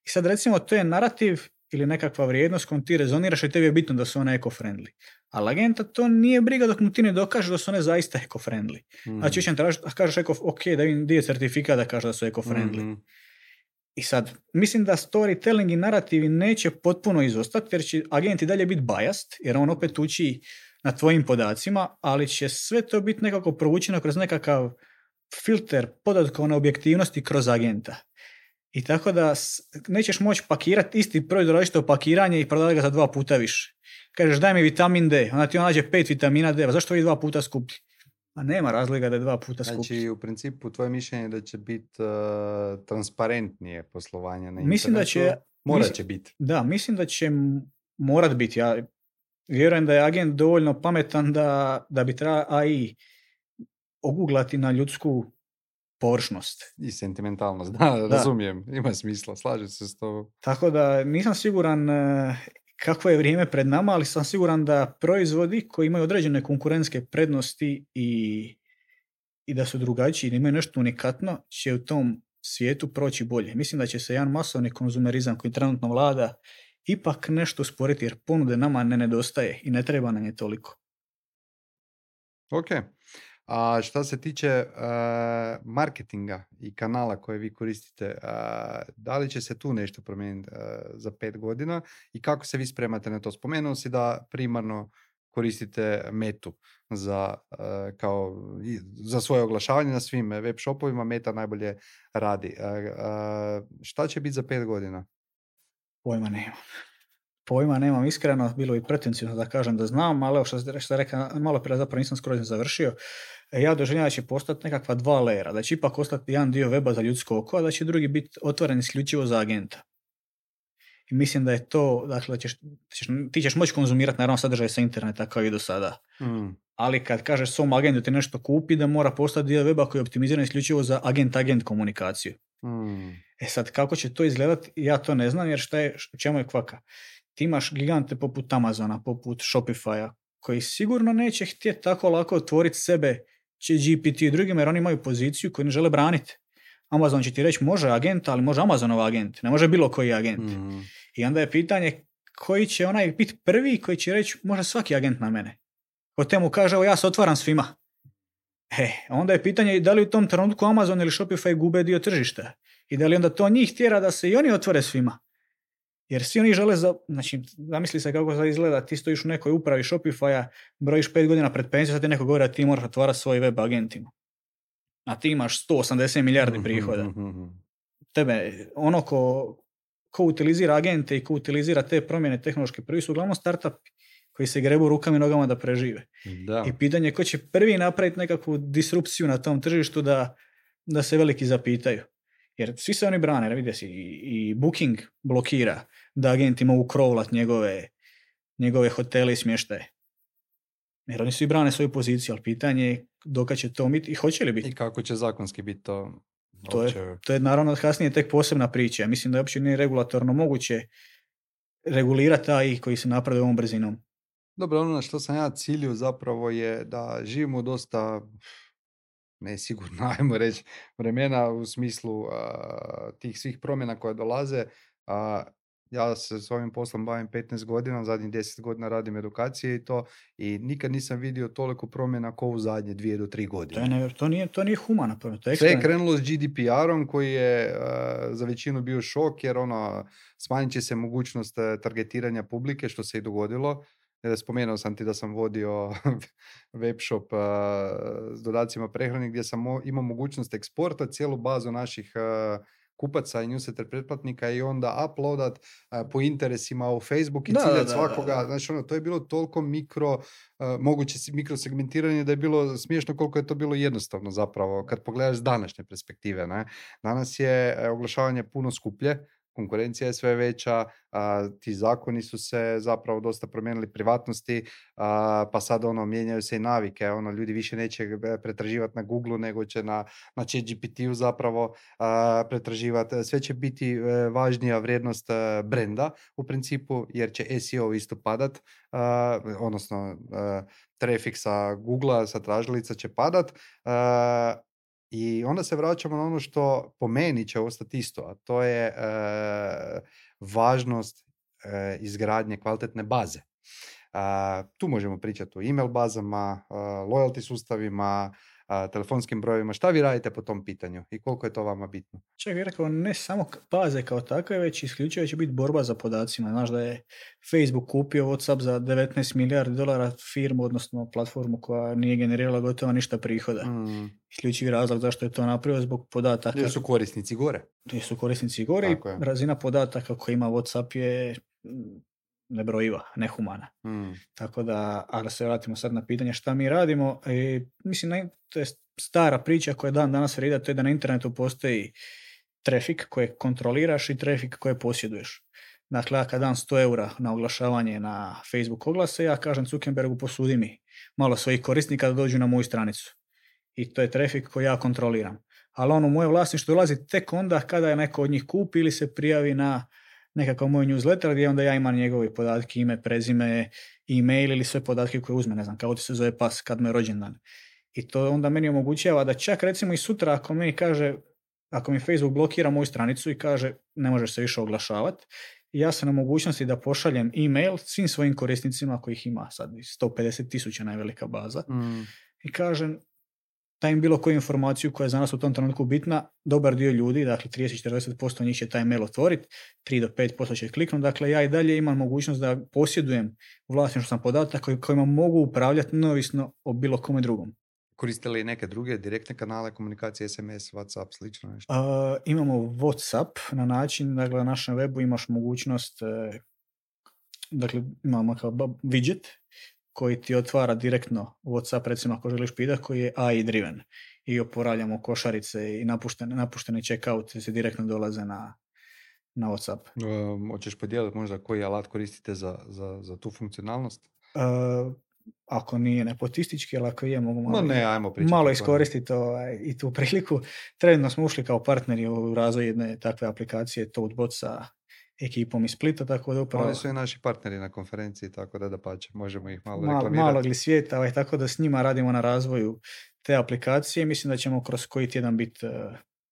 I sad recimo to je narativ ili nekakva vrijednost kojom ti rezoniraš i tebi je bitno da su one eco-friendly. Ali agenta to nije briga dok mu ti ne dokaže da su one zaista eco-friendly. Znači će tražiti, kažeš ok, da vidim gdje je certifikat da kaže da su eco-friendly. I sad, mislim da storytelling i narativi neće potpuno izostati, jer će agent i dalje biti biased, jer on opet uči na tvojim podacima, ali će sve to biti nekako provučeno kroz nekakav filter podatkovne objektivnosti kroz agenta. I tako da nećeš moći pakirati isti proizvod različito pakiranje i prodati ga za 2 puta više. Kažeš daj mi vitamin D, onda ti on nađe 5 vitamina D, zašto vi 2 puta skuplji? A nema razlika da je 2 puta skuplji. Znači, u principu, tvoje mišljenje da će biti transparentnije poslovanje na internetu? Mislim da će... Morat će biti. Da, mislim da će morat biti. Ja vjerujem da je agent dovoljno pametan da bi treba AI oguglati na ljudsku površnost. I sentimentalnost, da, razumijem. Ima smisla, slažem se s tobom. Tako da nisam siguran kakvo je vrijeme pred nama, ali sam siguran da proizvodi koji imaju određene konkurentske prednosti i da su drugačiji, da imaju nešto unikatno, će u tom svijetu proći bolje. Mislim da će se jedan masovni konzumerizam koji trenutno vlada ipak nešto usporiti, jer ponude nama ne nedostaje i ne treba nam je toliko. Ok. A šta se tiče marketinga i kanala koje vi koristite, da li će se tu nešto promijeniti za 5 godina i kako se vi spremate na to? Spomenuo si da primarno koristite Metu za svoje oglašavanje na svim web shopovima. Meta najbolje radi. Šta će biti za 5 godina? Pojma nemam, iskreno, bilo bi pretencijno da kažem da znam, ali evo što sam rekao, malo prije zapravo nisam skroz završio. Ja doživljavam da će postati nekakva 2 lejera, da će ipak ostati jedan dio weba za ljudsko oko, a da će drugi biti otvoren isključivo za agenta. I mislim da je to, dakle, ti ćeš moći konzumirati naravno sadržaj sa interneta kao i do sada. Ali kad kažeš svom agentu ti nešto kupi, da mora postati dio weba koji je optimiziran isključivo za agent-agent komunikaciju. Sad, kako će to izgledati, ja to ne znam, jer u čemu je kvaka? Ti imaš gigante poput Amazona, poput Shopify-a, koji sigurno neće htjeti tako lako otvoriti sebe GPT i drugima, jer oni imaju poziciju koju ne žele braniti. Amazon će ti reći može agent, ali može Amazonov agent, ne može bilo koji agent. I onda je pitanje koji će onaj biti prvi koji će reći može svaki agent na mene. Ko temu kaže evo ja se otvaram svima. Onda je pitanje da li u tom trenutku Amazon ili Shopify gube dio tržišta i da li onda to njih tjera da se i oni otvore svima. Jer svi oni žele, znači, zamisli se kako sad izgleda, ti stojiš u nekoj upravi Shopify-a, brojiš 5 godina pred penziju, sad ti neko govori da ti moraš otvarati svoj web agentima. A ti imaš 180 milijardi prihoda. Tebe, ono ko utilizira agente i ko utilizira te promjene tehnološke, prvi su uglavnom startupi koji se grebu rukama i nogama da prežive. Da. I pitanje je ko će prvi napraviti nekakvu disrupciju na tom tržištu da se veliki zapitaju. Jer svi se oni brane, vidi si, i Booking blokira da agenti mogu krovlat njegove hotele i smještaje. Jer oni svi brane svoju poziciju, ali pitanje je dokad će to biti i hoće li biti. I kako će zakonski biti to? To je naravno kasnije tek posebna priča. Ja mislim da uopće nije regulatorno moguće regulirati taj koji se napravi ovom brzinom. Dobro, ono na što sam ja ciljio zapravo je da živimo dosta nesigurno, ajmo reći, vremena u smislu tih svih promjena koje dolaze. Ja se s ovim poslom bavim 15 godina, zadnjih 10 godina radim edukacije i to, i nikad nisam vidio toliko promjena kao u zadnje 2 do 3 godine. To nije humana promjena. Sve je krenulo s GDPR-om koji je za većinu bio šok, jer smanjit će se mogućnost targetiranja publike, što se i dogodilo. Spomenuo sam ti da sam vodio web shop s dodacima prehrani gdje sam imao mogućnost eksporta cijelu bazu naših kupaca i newsletter pretplatnika i onda uploadat po interesima u Facebook i ciljati svakoga. Znači, to je bilo toliko moguće mikrosegmentiranje da je bilo smiješno koliko je to bilo jednostavno zapravo kad pogledaš s današnje perspektive. Ne? Danas je oglašavanje puno skuplje, konkurencija je sve veća, ti zakoni su se zapravo dosta promijenili, privatnosti, pa sad mijenjaju se i navike, ljudi više neće pretraživati na Google nego će na ChatGPT-u zapravo pretraživati. Sve će biti važnija vrijednost brenda u principu, jer će SEO isto padat, odnosno trafik sa Google-a, sa tražilica će padat. I onda se vraćamo na ono što po meni će ostati isto, a to je važnost izgradnje kvalitetne baze. Tu možemo pričati o email bazama, loyalty sustavima, telefonskim brojevima. Šta vi radite po tom pitanju i koliko je to vama bitno? Čak bih rekao, ne samo baze kao takve, već isključivo će biti borba za podacima. Znaš da je Facebook kupio WhatsApp za $19 milijardi firmu, odnosno platformu koja nije generirala gotovo ništa prihoda. Isključivi razlog zašto je to napravio zbog podataka. Jer su korisnici gore. I razina podataka koja ima WhatsApp je nebrojiva, nehumana. Tako da, ali se vratimo sad na pitanje šta mi radimo. Mislim, to je stara priča koja dan danas vrida, to je da na internetu postoji trafik koje kontroliraš i trafik koje posjeduješ. Dakle, ja kad dam 100 eura na oglašavanje na Facebook oglase, ja kažem Zuckerbergu posudi mi malo svojih korisnika da dođu na moju stranicu. I to je trafik koji ja kontroliram. Ali u moje vlasništvo dolazi tek onda kada je neko od njih kupi ili se prijavi na nekakav moj newsletter gdje onda ja imam njegove podatke, ime, prezime, e-mail ili sve podatke koje uzme, ne znam, kako ti se zove pas, kad mu je rođendan. I to onda meni omogućava da čak recimo i sutra ako mi Facebook blokira moju stranicu i kaže ne možeš se više oglašavati, ja sam na mogućnosti da pošaljem e-mail svim svojim korisnicima kojih ima sad 150,000 najvelika baza i kažem daj im bilo koju informaciju koja je za nas u tom trenutku bitna, dobar dio ljudi, dakle 30-40% njih će taj mail otvoriti, 3 do 5% će kliknuti, dakle ja i dalje imam mogućnost da posjedujem vlasništvo sam podataka kojima mogu upravljati neovisno o bilo kome drugom. Koriste li neke druge direktne kanale komunikacije, SMS, WhatsApp, slično nešto? Imamo WhatsApp na način, dakle na našem webu imaš mogućnost, dakle imamo kao widget koji ti otvara direktno WhatsApp, recimo ako želiš pitati, koji je AI driven i oporavljamo košarice i napuštene checkout se direktno dolaze na WhatsApp. Hoćeš podijeliti možda koji alat koristite za tu funkcionalnost? Ako nije nepotistički, ali ako je, mogu ajmo malo iskoristiti i tu priliku. Trenutno smo ušli kao partneri u razvoj jedne takve aplikacije Toadbot sa ekipom iz Splita, tako da upravo... Oni su i naši partneri na konferenciji, tako da pače, možemo ih malo reklamirati. Malog li svijeta, tako da s njima radimo na razvoju te aplikacije. Mislim da ćemo kroz koji tjedan biti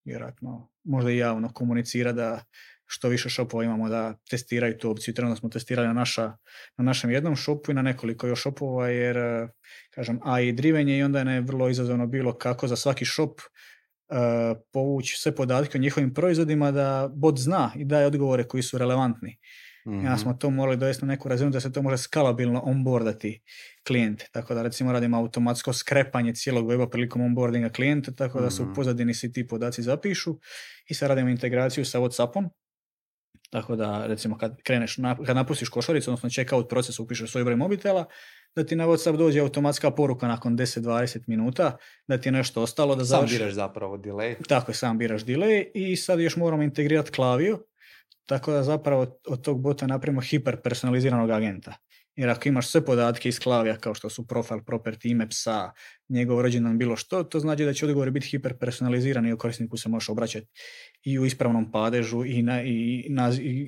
vjerojatno možda i javno komunicirati da što više shopova imamo da testiraju tu opciju. Trenutno smo testirali na našem jednom shopu i na nekoliko još shopova, jer kažem AI driven je i onda je vrlo izazovno bilo kako za svaki shop povući sve podatke o njihovim proizvodima da bot zna i daje odgovore koji su relevantni. Ja smo to morali dovesti na neku razinu da se to može skalabilno onboardati klijent. Tako da recimo radimo automatsko skrepanje cijelog weba prilikom onboardinga klijenta, tako da se u pozadini svi ti podaci zapišu i sad radimo integraciju sa WhatsAppom. Tako da recimo kad napustiš košaricu, odnosno checkout proces, upišeš svoj broj mobitela, da ti na WhatsApp dođe automatska poruka nakon 10-20 minuta, da ti je nešto ostalo da završi. Sam biraš zapravo delay. Tako je, sam biraš delay i sad još moramo integrirati Klaviyo, tako da zapravo od tog bota napravimo hiperpersonaliziranog agenta. Jer ako imaš sve podatke iz Klaviya, kao što su profile, property, ime psa, njegov rođendan, bilo što, to znači da će odgovori biti hiperpersonalizirani i korisniku se možeš obraćati i u ispravnom padežu i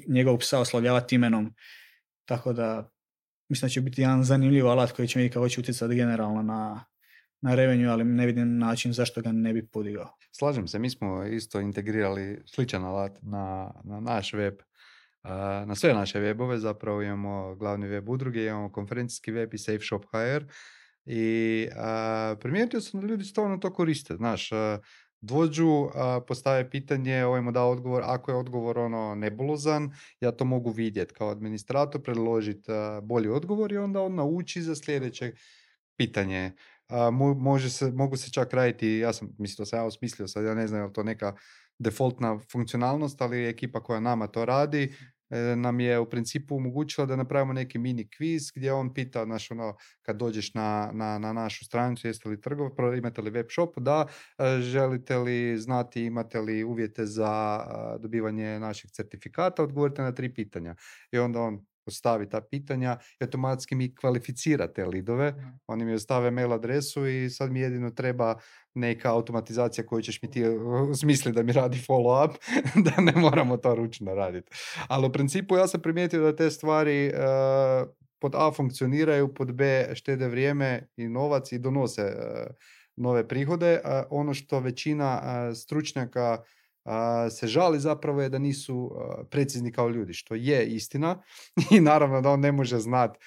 njegov psa oslovljavati imenom. Tako da mislim da će biti jedan zanimljiv alat koji će vidjeti kako će utjecati generalno na revenue, ali ne vidim način zašto ga ne bi podigao. Slažem se, mi smo isto integrirali sličan alat na naš web. Na sve naše webove zapravo imamo glavni web udruge, imamo konferencijski web i Safe Shop HR i primijetio sam da ljudi stvarno to koriste. Znaš, dođu, postave pitanje, ovaj mu da odgovor, ako je odgovor nebulozan, ja to mogu vidjeti kao administrator, predložiti bolji odgovor i onda on nauči za sljedeće pitanje. Mogu se čak raditi, ja sam osmislio sad, ja ne znam je li to neka defaultna funkcionalnost, ali ekipa koja nama to radi nam je u principu omogućila da napravimo neki mini kviz gdje on pita, kad dođeš na našu stranicu, jeste li imate li web shop, da, želite li znati, imate li uvjete za dobivanje naših certifikata, odgovorite na 3 pitanja. I onda on postavi ta pitanja i automatski mi kvalificira te lidove, oni mi ostave mail adresu i sad mi jedino treba neka automatizacija koju ćeš mi ti smisliti da mi radi follow up, da ne moramo to ručno raditi. Ali u principu ja sam primijetio da te stvari pod A funkcioniraju, pod B štede vrijeme i novac i donose nove prihode. Ono što većina stručnjaka se žali zapravo je da nisu precizni kao ljudi, što je istina i naravno da on ne može znati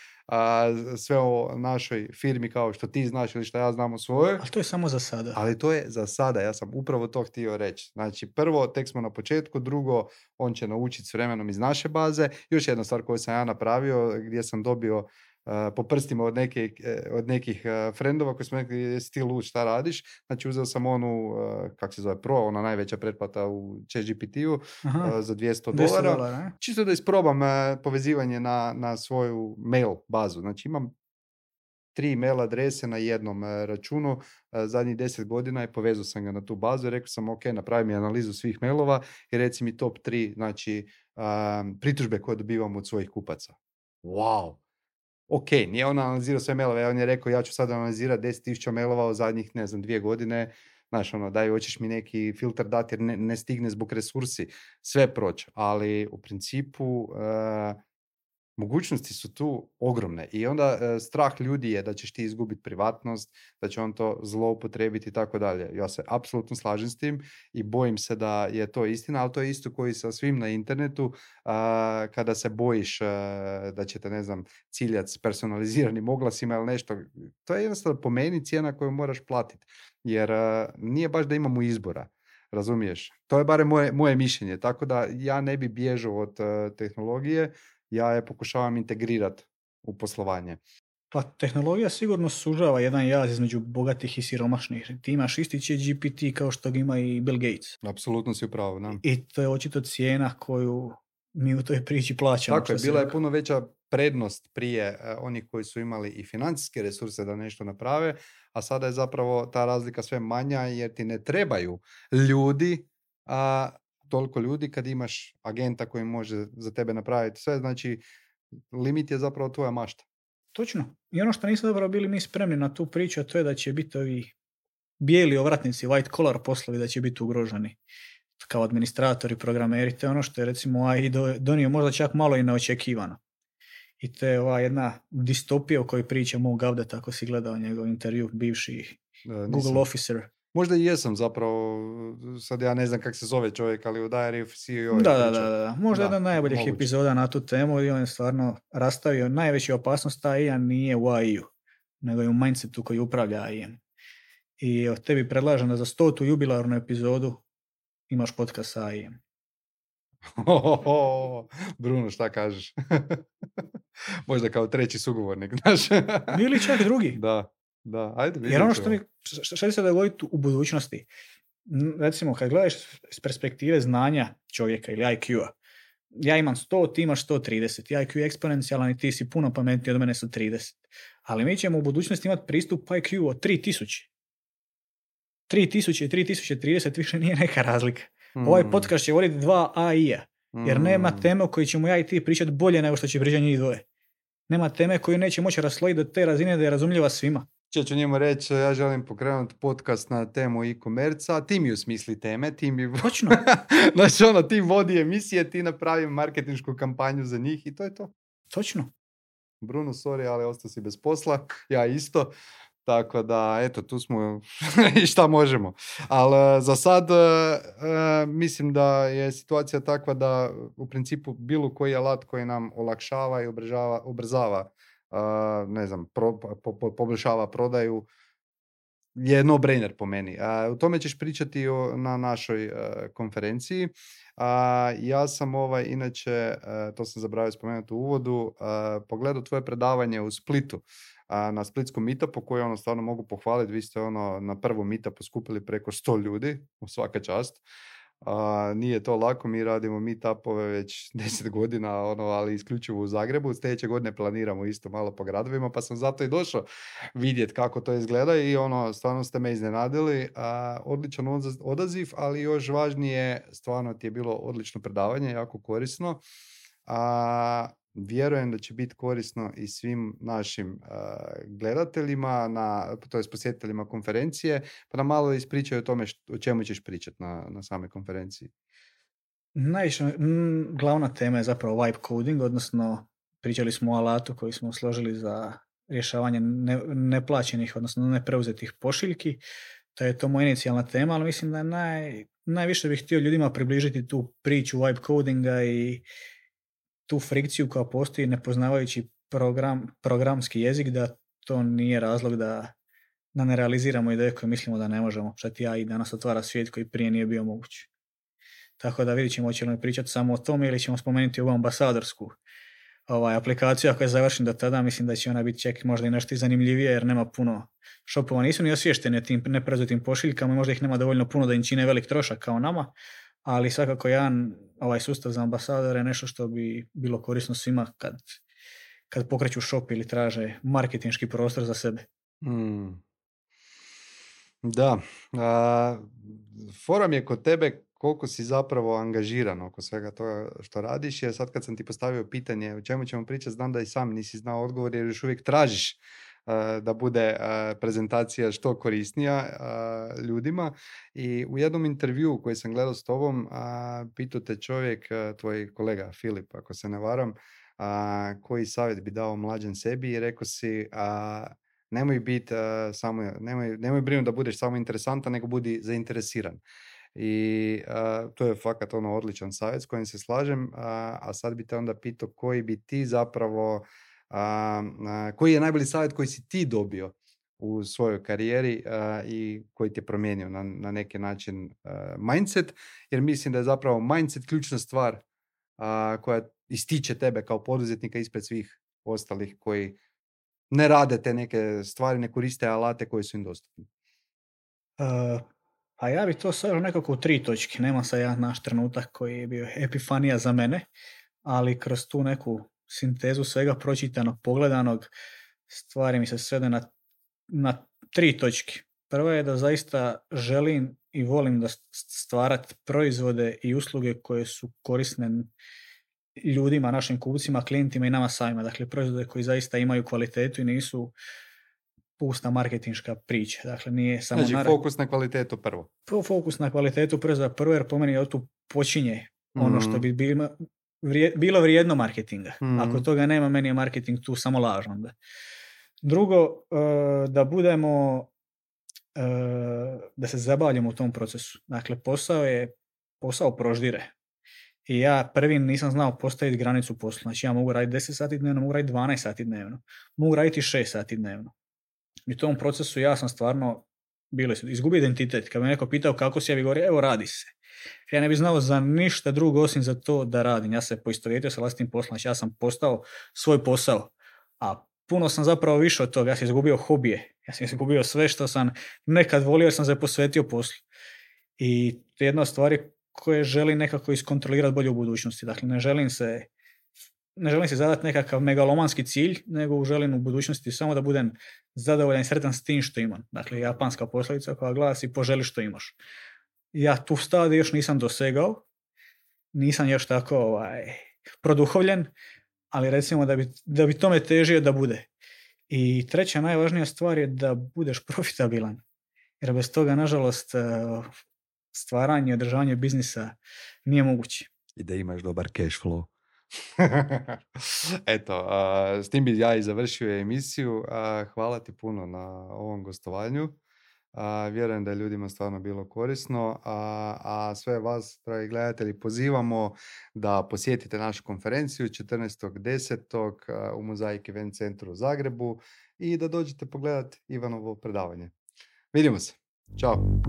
sve o našoj firmi kao što ti znaš ili što ja znam o svojoj. Ali to je samo za sada. Ali to je za sada, ja sam upravo to htio reći. Znači, prvo, tek smo na početku, drugo, on će naučiti s vremenom iz naše baze. Još jedna stvar koju sam ja napravio, gdje sam dobio po prstima od nekih frendova koji smo rekli, jesi ti lud, šta radiš? Znači, uzeo sam onu, kak se zove, Pro, ona najveća pretplata u ChatGPT-u za $200. Čisto da isprobam povezivanje na svoju mail bazu. Znači, imam 3 mail adrese na jednom računu, zadnjih 10 godina i povezao sam ga na tu bazu i rekao sam, ok, napravi mi analizu svih mailova i reci mi top 3, znači, pritužbe koje dobivamo od svojih kupaca. Wow! Ok, nije on analizirao sve mailove, on je rekao, ja ću sad analizirati 10.000 mailova u zadnjih, 2 godine, znaš, daj, hoćeš mi neki filter dati jer ne stigne zbog resursi, sve proći, ali u principu mogućnosti su tu ogromne i onda strah ljudi je da ćeš ti izgubiti privatnost, da će on to zloupotrijebiti i tako dalje. Ja se apsolutno slažem s tim i bojim se da je to istina, ali to je isto koji sa svim na internetu, kada se bojiš da će te, ne znam, ciljat s personaliziranim oglasima ili nešto. To je jednostavno po meni cijena koju moraš platiti, jer nije baš da imamo izbora. Razumiješ? To je barem moje mišljenje, tako da ja ne bi bježao od tehnologije, ja je pokušavam integrirati u poslovanje. Pa tehnologija sigurno sužava jedan jaz između bogatih i siromašnih. Ti imaš isti GPT kao što ga ima i Bill Gates. Apsolutno si u pravu, da. I to je očito cijena koju mi u toj priči plaćamo. Tako je, bila je puno veća prednost prije onih koji su imali i financijske resurse da nešto naprave, a sada je zapravo ta razlika sve manja jer ti ne trebaju ljudi, toliko ljudi kad imaš agenta koji može za tebe napraviti sve, znači limit je zapravo tvoja mašta. Točno. I ono što nismo zapravo bili mi spremni na tu priču, a to je da će biti ovi bijeli ovratnici, white collar poslovi, da će biti ugroženi kao administratori, programeri. To je ono što je recimo AI donio možda čak malo i neočekivano. I to je ova jedna distopija o kojoj priča Mo Gavdet, ako si gledao njegov intervju, bivši Google officer. Možda i jesam zapravo, sad ja ne znam kako se zove čovjek, ali u Diary of CEO je Da. Možda jedna od najboljih epizoda na tu temu i on je stvarno rastavio najveću opasnost AI-a nije u AI-u, nego je u mindsetu koji upravlja AI-em. I od tebi predlažem da za 100. jubilarnu epizodu imaš podcast sa AI-em. Bruno, šta kažeš? Možda kao treći sugovornik, znaš? Ili čak drugi. Da, ajde vidimo. Jer ono što će se dogoditi u budućnosti, recimo kad gledaš s perspektive znanja čovjeka ili IQ-a, ja imam 100, ti imaš 130, IQ je eksponencijalan i ti si puno pametniji od mene su 30. Ali mi ćemo u budućnosti imati pristup IQ od 3000. 3000 i 3030 više nije neka razlika. Ovaj podcast će voditi 2 AI-a, jer nema teme o kojoj ćemo ja i ti pričati bolje nego što će pričati njih dvoje. Nema teme koju neće moći raslojiti do te razine da je razumljiva svima. Ću njemu reći, ja želim pokrenuti podcast na temu e-commerce, a ti mi usmisli teme, ti mi... Točno. Znači ti vodi emisije, ti napravi marketinšku kampanju za njih i to je to. Točno. Bruno, sorry, ali ostao si bez posla, ja isto. Tako da, eto, tu smo i šta možemo. Ali za sad mislim da je situacija takva da u principu bilo koji alat koji nam olakšava i ubrzava ne znam, poboljšava prodaju je no-brainer po meni. U tome ćeš pričati na našoj konferenciji. Ja sam inače, to sam zaboravio spomenuti u uvodu, pogledao tvoje predavanje u Splitu, na splitskom meetupu koji stvarno mogu pohvaliti. Vi ste na prvom meetupu skupili preko 100 ljudi, u svaka čast. Nije to lako, mi radimo meetupove već 10 godina, ali isključivo u Zagrebu. Sljedeće godine planiramo isto malo po gradovima, pa sam zato i došao vidjeti kako to izgleda i stvarno ste me iznenadili. Odličan odaziv, ali još važnije, stvarno ti je bilo odlično predavanje, jako korisno. Vjerujem da će biti korisno i svim našim gledateljima, to jest posjetiteljima konferencije, pa da malo ispričaju o tome o čemu ćeš pričati na samoj konferenciji. Najviše, glavna tema je zapravo vibe coding, odnosno pričali smo o alatu koji smo složili za rješavanje neplaćenih, odnosno nepreuzetih pošiljki. To je to moja inicijalna tema, ali mislim da najviše bih htio ljudima približiti tu priču vibe codinga i tu frikciju koja postoji nepoznavajući programski jezik, da to nije razlog da ne realiziramo ideje koje mislimo da ne možemo. Šta ti AI danas otvara svijet koji prije nije bio moguć. Tako da vidit ćemo hoćemo li pričati samo o tome ili ćemo spomenuti ovu ambasadorsku aplikaciju. Ako je završen do tada, mislim da će ona biti čak možda i nešto zanimljivije jer nema puno shopova. Nisu ni osvješteni o tim nepreuzetim pošiljkama, možda ih nema dovoljno puno da im čine velik trošak kao nama, ali svakako jedan sustav za ambasadore je nešto što bi bilo korisno svima kad pokreću shop ili traže marketinški prostor za sebe. Da. Forum je kod tebe koliko si zapravo angažiran oko svega toga što radiš, jer sad kad sam ti postavio pitanje o čemu ćemo pričati, znam da i sam nisi znao odgovor jer još uvijek tražiš da bude prezentacija što korisnija ljudima. I u jednom intervjuu koji sam gledao s tobom, pitao te čovjek, tvoj kolega Filip, ako se ne varam, koji savjet bi dao mlađem sebi i rekao si nemoj biti nemoj brinuti da budeš samo interesantan, nego budi zainteresiran. I to je fakat ono odličan savjet s kojim se slažem, a sad bi te onda pitao koji bi ti zapravo, koji je najbolji savjet koji si ti dobio u svojoj karijeri i koji ti je promijenio na neki način mindset, jer mislim da je zapravo mindset ključna stvar koja ističe tebe kao poduzetnika ispred svih ostalih koji ne rade te neke stvari, ne koriste alate koji su im dostupni. A ja bi to stavio nekako u 3 točke. Nema sad jedan naš trenutak koji je bio epifanija za mene, ali kroz tu neku sintezu svega pročitanog, pogledanog, stvari mi se svede na 3 točke. Prva je da zaista želim i volim da stvarati proizvode i usluge koje su korisne ljudima, našim kupcima, klijentima i nama samima. Dakle, proizvode koji zaista imaju kvalitetu i nisu pusta marketinška priča. Dakle, nije samo... Znači, fokus na kvalitetu prvo. Fokus na kvalitetu proizvoda prvo, jer po meni od tu počinje ono što bi bilo vrijedno marketinga. Ako toga nema, meni je marketing tu samo lažno. Drugo, da budemo, da se zabavljamo u tom procesu. Dakle, posao proždire. I ja prvi nisam znao postaviti granicu posla. Znači, ja mogu raditi 10 sati dnevno, mogu raditi 12 sati dnevno, mogu raditi 6 sati dnevno. I u tom procesu ja sam stvarno izgubio identitet. Kad me neko pitao kako si, ja bi govorio, evo radi se. Ja ne bi znao za ništa drugo osim za to da radim. Ja se poistovjetio sa vlastitim poslom. Znači, ja sam postao svoj posao. A puno sam zapravo više od toga. Ja sam izgubio hobije. Ja sam izgubio sve što sam nekad volio jer sam se posvetio poslu. I to je jedna od stvari koje želim nekako iskontrolirati bolje u budućnosti. Dakle, ne želim si zadati nekakav megalomanski cilj, nego želim u budućnosti samo da budem zadovoljan i sretan s tim što imam. Dakle, japanska poslovica koja glasi poželi što imaš. Ja tu stadiju još nisam dosegao, nisam još tako produhovljen, ali recimo da bi tome težio da bude. I treća najvažnija stvar je da budeš profitabilan. Jer bez toga, nažalost, stvaranje i održavanje biznisa nije moguće. I da imaš dobar cash flow. Eto, s tim bi ja i završio emisiju. Hvala ti puno na ovom gostovanju. Vjerujem da je ljudima stvarno bilo korisno. A sve vas, dragi gledatelji, pozivamo da posjetite našu konferenciju 14.10. u Mozaik Event Centru u Zagrebu i da dođete pogledati Ivanovo predavanje. Vidimo se. Ćao.